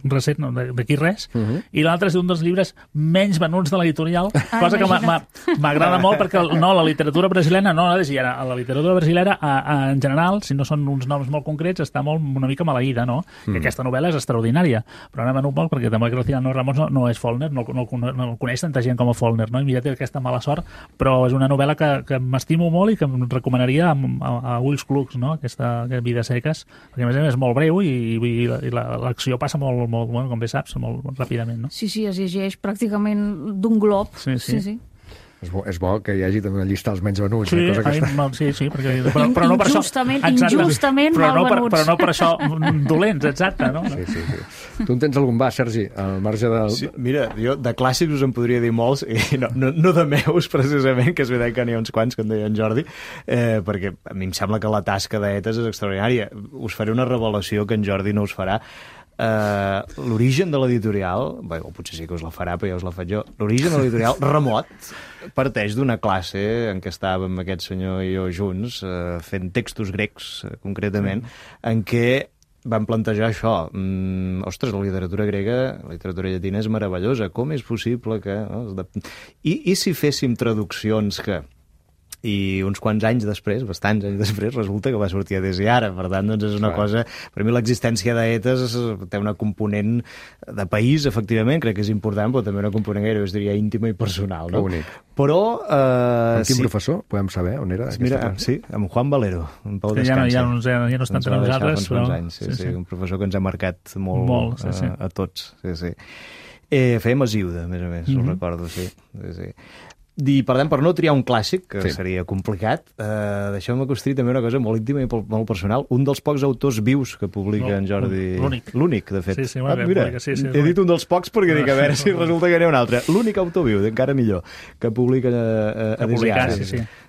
recent, d'aquí res, i l'altre és un dels llibres menys venuts de l'editorial, cosa que m'agrada molt, perquè la literatura brasilera, la literatura brasilera en general, si no són uns noms molt concrets, està una mica maleïda, no? I aquesta novel·la és extraordinària, però n'ha venut molt perquè també Graciano Ramos no és Faulkner, no el coneix tanta gent com a Faulkner, no? I mira, té aquesta mala sort, però és una novel·la que m'estimo molt i que em recomanaria a ulls clucs, no? Aquesta Vides seques, perquè a més és molt breu i l'acció passa molt, com bé saps, molt ràpidament, no? Sí, es llegeix pràcticament d'un glob. Sí. És bo que hi hagi també una llista dels menys venuts. Sí, però no per això... Injustament mal venuts. Però no per això dolents, exacte, no? Sí. Tu en tens algun Sergi, al marge del... Sí, mira, jo de clàssics us en podria dir molts, i no de meus, precisament, que és veritat que n'hi ha uns quants, que en deia en Jordi, perquè a mi em sembla que la tasca d'Etes és extraordinària. Us faré una revelació que en Jordi no us farà. L'origen de l'editorial, o potser sí que us la farà, però ja us la faig jo, l'origen de l'editorial remot parteix d'una classe en què estàvem aquest senyor i jo junts fent textos grecs, concretament, en què van plantejar això. Ostres, la literatura grega, la literatura llatina és meravellosa, com és possible que... I si féssim traduccions que... I uns quants anys després, bastants anys després, resulta que va sortir a Des i Ara. Per tant, doncs és una cosa... Per mi l'existència d'Etes té una component de país, efectivament, crec que és important, però també una component gairebé, es diria, íntima i personal. No? Bonic. Però... Amb quin professor? Podem saber on era? Mira, sí, amb Juan Valero, en Pau Descansa. Ja no estan entre nosaltres, però... Sí, un professor que ens ha marcat molt a tots. Sí. Fèiem a Ziuda, a més, ho recordo, sí. I, per tant, per no triar un clàssic, que seria complicat, deixeu-me que us triï també una cosa molt íntima i molt personal. Un dels pocs autors vius que publica en Jordi... L'únic, de fet. Sí, mira, he dit un dels pocs perquè dic, a veure si resulta que n'hi ha un altre. L'únic autor viu, encara millor, que publica a Desiara.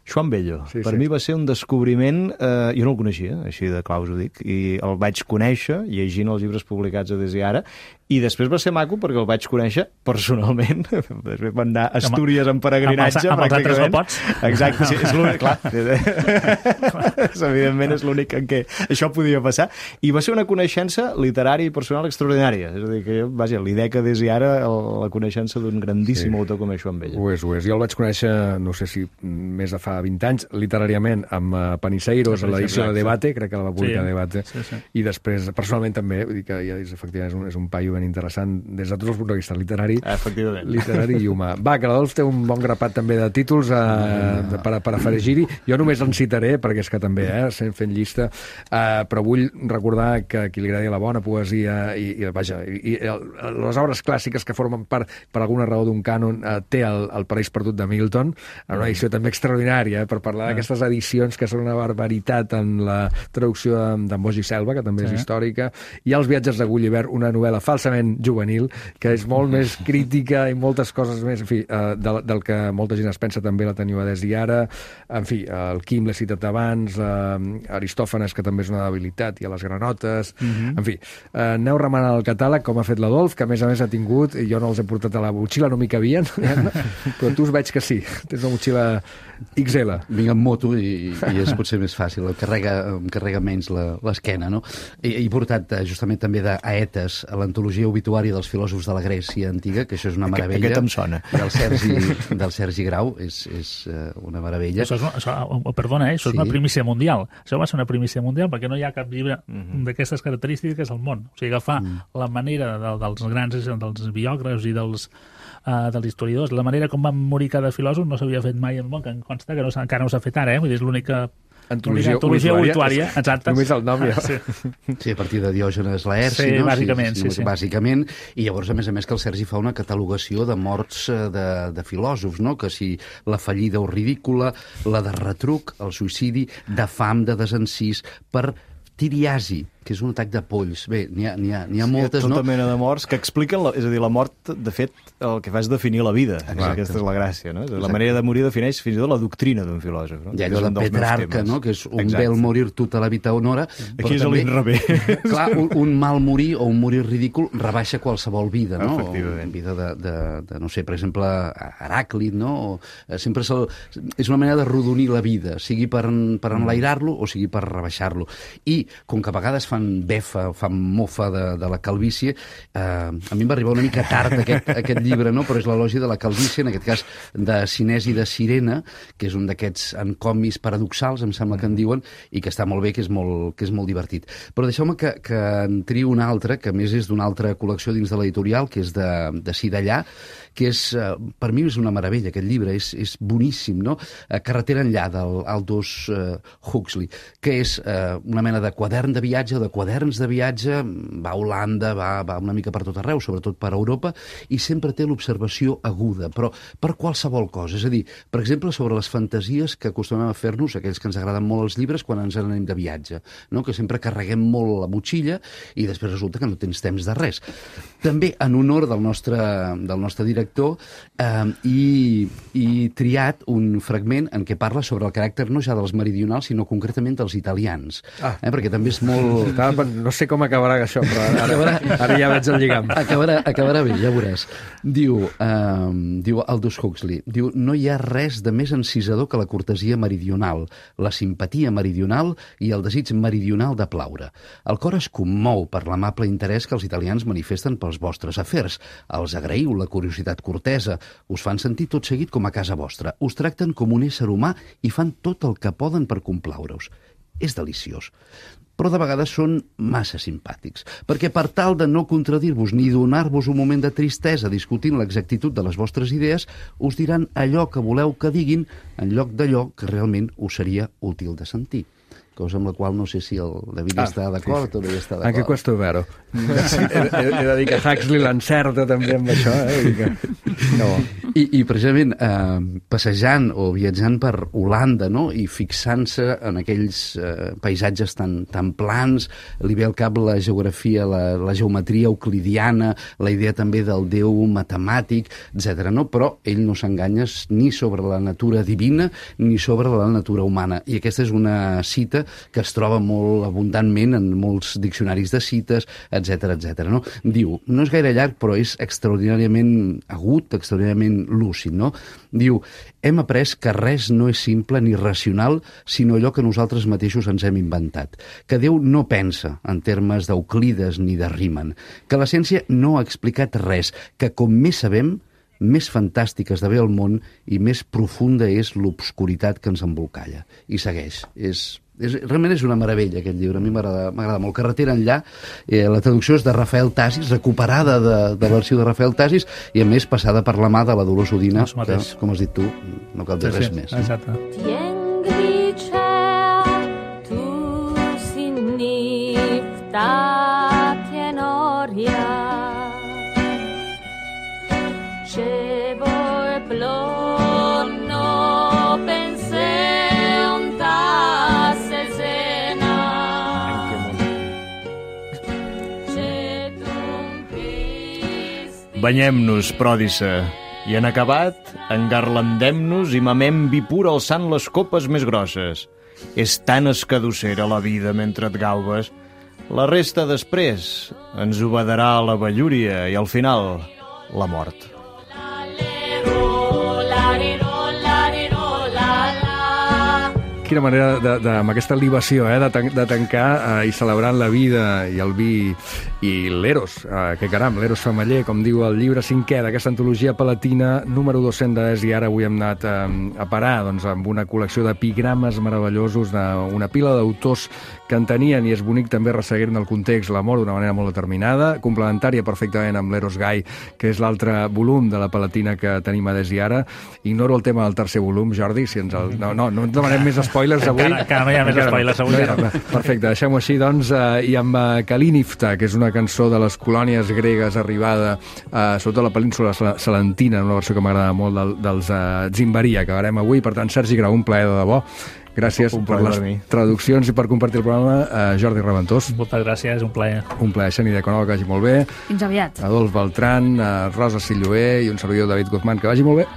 Joan Bello. Per mi va ser un descobriment... Jo no el coneixia, així de claus ho dic, i el vaig conèixer llegint els llibres publicats a Desiara, i després va ser maco perquè el vaig conèixer personalment. Després van anar a Astúries en peregrinatge. Amb els altres no pots. Exacte, sí, és l'únic, clar. Evidentment és l'únic en què això podia passar. I va ser una coneixença literària i personal extraordinària. És a dir, que jo, vaja, li dec a Des i Ara la coneixença d'un grandíssim autor com és Joan Bello. Ho és. Jo el vaig conèixer, no sé si més de fa 20 anys, literàriament, amb Paniseiros, a l'edició de Debate, crec que la va publicar Debate, i després, personalment també, vull dir que ja efectivament és un paio ben interessant des de tots els punts de vista literari i humà. Va, que l'Adolf té un bon grapat també de títols per afegir-hi. Jo només en citaré, perquè és que també també, fent llista, però vull recordar que a qui li agradi la bona poesia i les obres clàssiques que formen part, per alguna raó, d'un cànon, té el Paraís perdut de Milton, en una edició també extraordinària, per parlar d'aquestes edicions que són una barbaritat en la traducció d'en Boix i Selva, que també és històrica. Hi ha Els viatges de Gulliver, una novel·la falsament juvenil, que és molt més crítica i moltes coses més, en fi, del que molta gent es pensa. També la teniu a Des i Ara. En fi, el Quim l'he citat abans, Aristòfanes, que també és una debilitat, i a les granotes. En fi, aneu remenant el catàleg, com ha fet l'Adolf, que a més ha tingut, i jo no els he portat a la motxilla, no m'hi cabien, però tu us veig que sí. Tens una motxilla XL. Vinc amb moto i és potser més fàcil, em carrega menys l'esquena, no? He portat justament també d'Aetes, a l'antologia obituària dels filòsofs de la Grècia antiga, que això és una meravella. Aquest em sona. Del Sergi Grau, és una meravella. Perdona, això és una primícia mundial. Això va ser una primícia mundial perquè no hi ha cap llibre d'aquestes característiques al món. O sigui, agafar la manera dels grans, dels biògrafs i dels historiadors, la manera com van morir cada filòsof no s'havia fet mai al món, que em consta que encara no s'ha fet ara, vull dir, és l'única antologia obituària, exacte. Només el nom, ja. Sí, a partir de Diògenes Laerci, no? Bàsicament. Bàsicament, i llavors, a més que el Sergi fa una catalogació de morts de filòsofs, no? Que si la fallida o ridícula, la de retruc, el suïcidi, de fam, de desencís, per tiriasi, que és un atac de polls. Bé, n'hi ha moltes, no? Tota mena de morts que expliquen, és a dir, la mort, de fet, el que fa és definir la vida. Aquesta és la gràcia, no? La manera de morir defineix fins i tot la doctrina d'un filòsof. I allò de Petrarca, no? Que és un bel morir tota la vita honora. Aquí és l'inrevés. Clar, un mal morir o un morir ridícul rebaixa qualsevol vida, no? Efectivament. Vida de, no sé, per exemple, Heràclit, no? Sempre és una manera de rodonir la vida, sigui per enlairar-lo o sigui per rebaixar-lo. I, com que a vegades fan befa, fan mofa de la calvície, a mi em va arribar una mica tard aquest llibre, no? Però és l'elogi de la calvície, en aquest cas de Cinesi de Cirene, que és un d'aquests encomis paradoxals, em sembla que en diuen, i que està molt bé, que és molt divertit. Però deixeu-me que en trio un altre, que a més és d'una altra col·lecció dins de l'editorial, que és de Cidallà, que és, per mi és una meravella, aquest llibre, és boníssim, no? Carretera enllà, d'Aldous Huxley, que és una mena de quadern de viatge o de quaderns de viatge, va a Holanda, va una mica per tot arreu, sobretot per Europa, i sempre té l'observació aguda, però per qualsevol cosa. És a dir, per exemple, sobre les fantasies que acostumem a fer-nos, aquells que ens agraden molt els llibres, quan ens anem de viatge, no? Que sempre carreguem molt la motxilla i després resulta que no tens temps de res. També, en honor del nostre director, i triat un fragment en què parla sobre el caràcter no ja dels meridionals, sinó concretament dels italians. Perquè també és molt... No sé com acabarà això, però ara ja veig el lligam. Acabarà bé, ja veuràs. Diu Aldous Huxley, no hi ha res de més encisador que la cortesia meridional, la simpatia meridional i el desig meridional de plaure. El cor es commou per l'amable interès que els italians manifesten pels vostres afers. Els agraïu la curiositat cortesa, us fan sentir tot seguit com a casa vostra, us tracten com un ésser humà i fan tot el que poden per complaure-us. És deliciós. Però de vegades són massa simpàtics, perquè per tal de no contradir-vos ni donar-vos un moment de tristesa discutint l'exactitud de les vostres idees, us diran allò que voleu que diguin en lloc d'allò que realment us seria útil de sentir. Cosa amb la qual no sé si el David està d'acord o no hi està d'acord. Anche questo è vero. He de dir que Huxley l'encerta també amb això. I precisament passejant o viatjant per Holanda, no? I fixant-se en aquells paisatges tan plans, li ve al cap la geografia, la geometria euclidiana, la idea també del déu matemàtic, etc. No? Però ell no s'enganya ni sobre la natura divina ni sobre la natura humana. I aquesta és una cita que es troba molt abundantment en molts diccionaris de cites, etc. No? Diu, no és gaire llarg, però és extraordinàriament agut, extraordinàriament lúcid. No? Diu, hem après que res no és simple ni racional, sinó allò que nosaltres mateixos ens hem inventat. Que Déu no pensa en termes d'Euclides ni de Riemann. Que la ciència no ha explicat res. Que com més sabem, més fantàstic esdevé el món i més profunda és l'obscuritat que ens embolcalla. I segueix. Realment és una meravella aquest llibre, a mi m'agrada molt. Carretera enllà, la traducció és de Rafael Tasis, recuperada de l'arxiu de Rafael Tasis, i a més passada per la mà de la Dolors Udina, que, com has dit tu, no cal dir res més. Exacte. takie noria. Ce voi plonno pense un tasse sena. Ce tu Banyem-nos, pròdissa, i en acabat engarlandem-nos i mamem vi pur alçant les copes més grosses. És tan escadossera la vida mentre et gaubes. La resta després ens obedarà la vellúria i al final la mort. Quina manera, amb aquesta libació, de tancar i celebrant la vida i el vi i l'Eros, que caram, l'Eros Femeller, com diu el llibre 5è d'aquesta antologia palatina, número 200 i ara avui hem anat a parar amb una col·lecció d'epigrames meravellosos d'una pila d'autors que en tenien, i és bonic també resseguir-ne el context, l'amor d'una manera molt determinada, complementària perfectament amb l'Eros Gai, que és l'altre volum de la palatina que tenim a Des i Ara. Ignoro el tema del tercer volum, Jordi, si ens el... No ens demanem més spoilers avui. Encara no hi ha més spoilers avui. Perfecte, deixem-ho així, doncs, i amb Kalinifta, que és una cançó de les colònies gregues arribada sobretot a la península salentina, una versió que m'agrada molt dels Zimbaria, que acabarem avui. Per tant, Sergi Grau, un plaer de debò. Gràcies per les traduccions i per compartir el programa. Jordi Reventós. Moltes gràcies, un plaer. Un plaer, Xènia de Conova, que vagi molt bé. Fins aviat. Adolf Beltrán, Rosa Silloé i un servidor, David Guzmán, que vagi molt bé.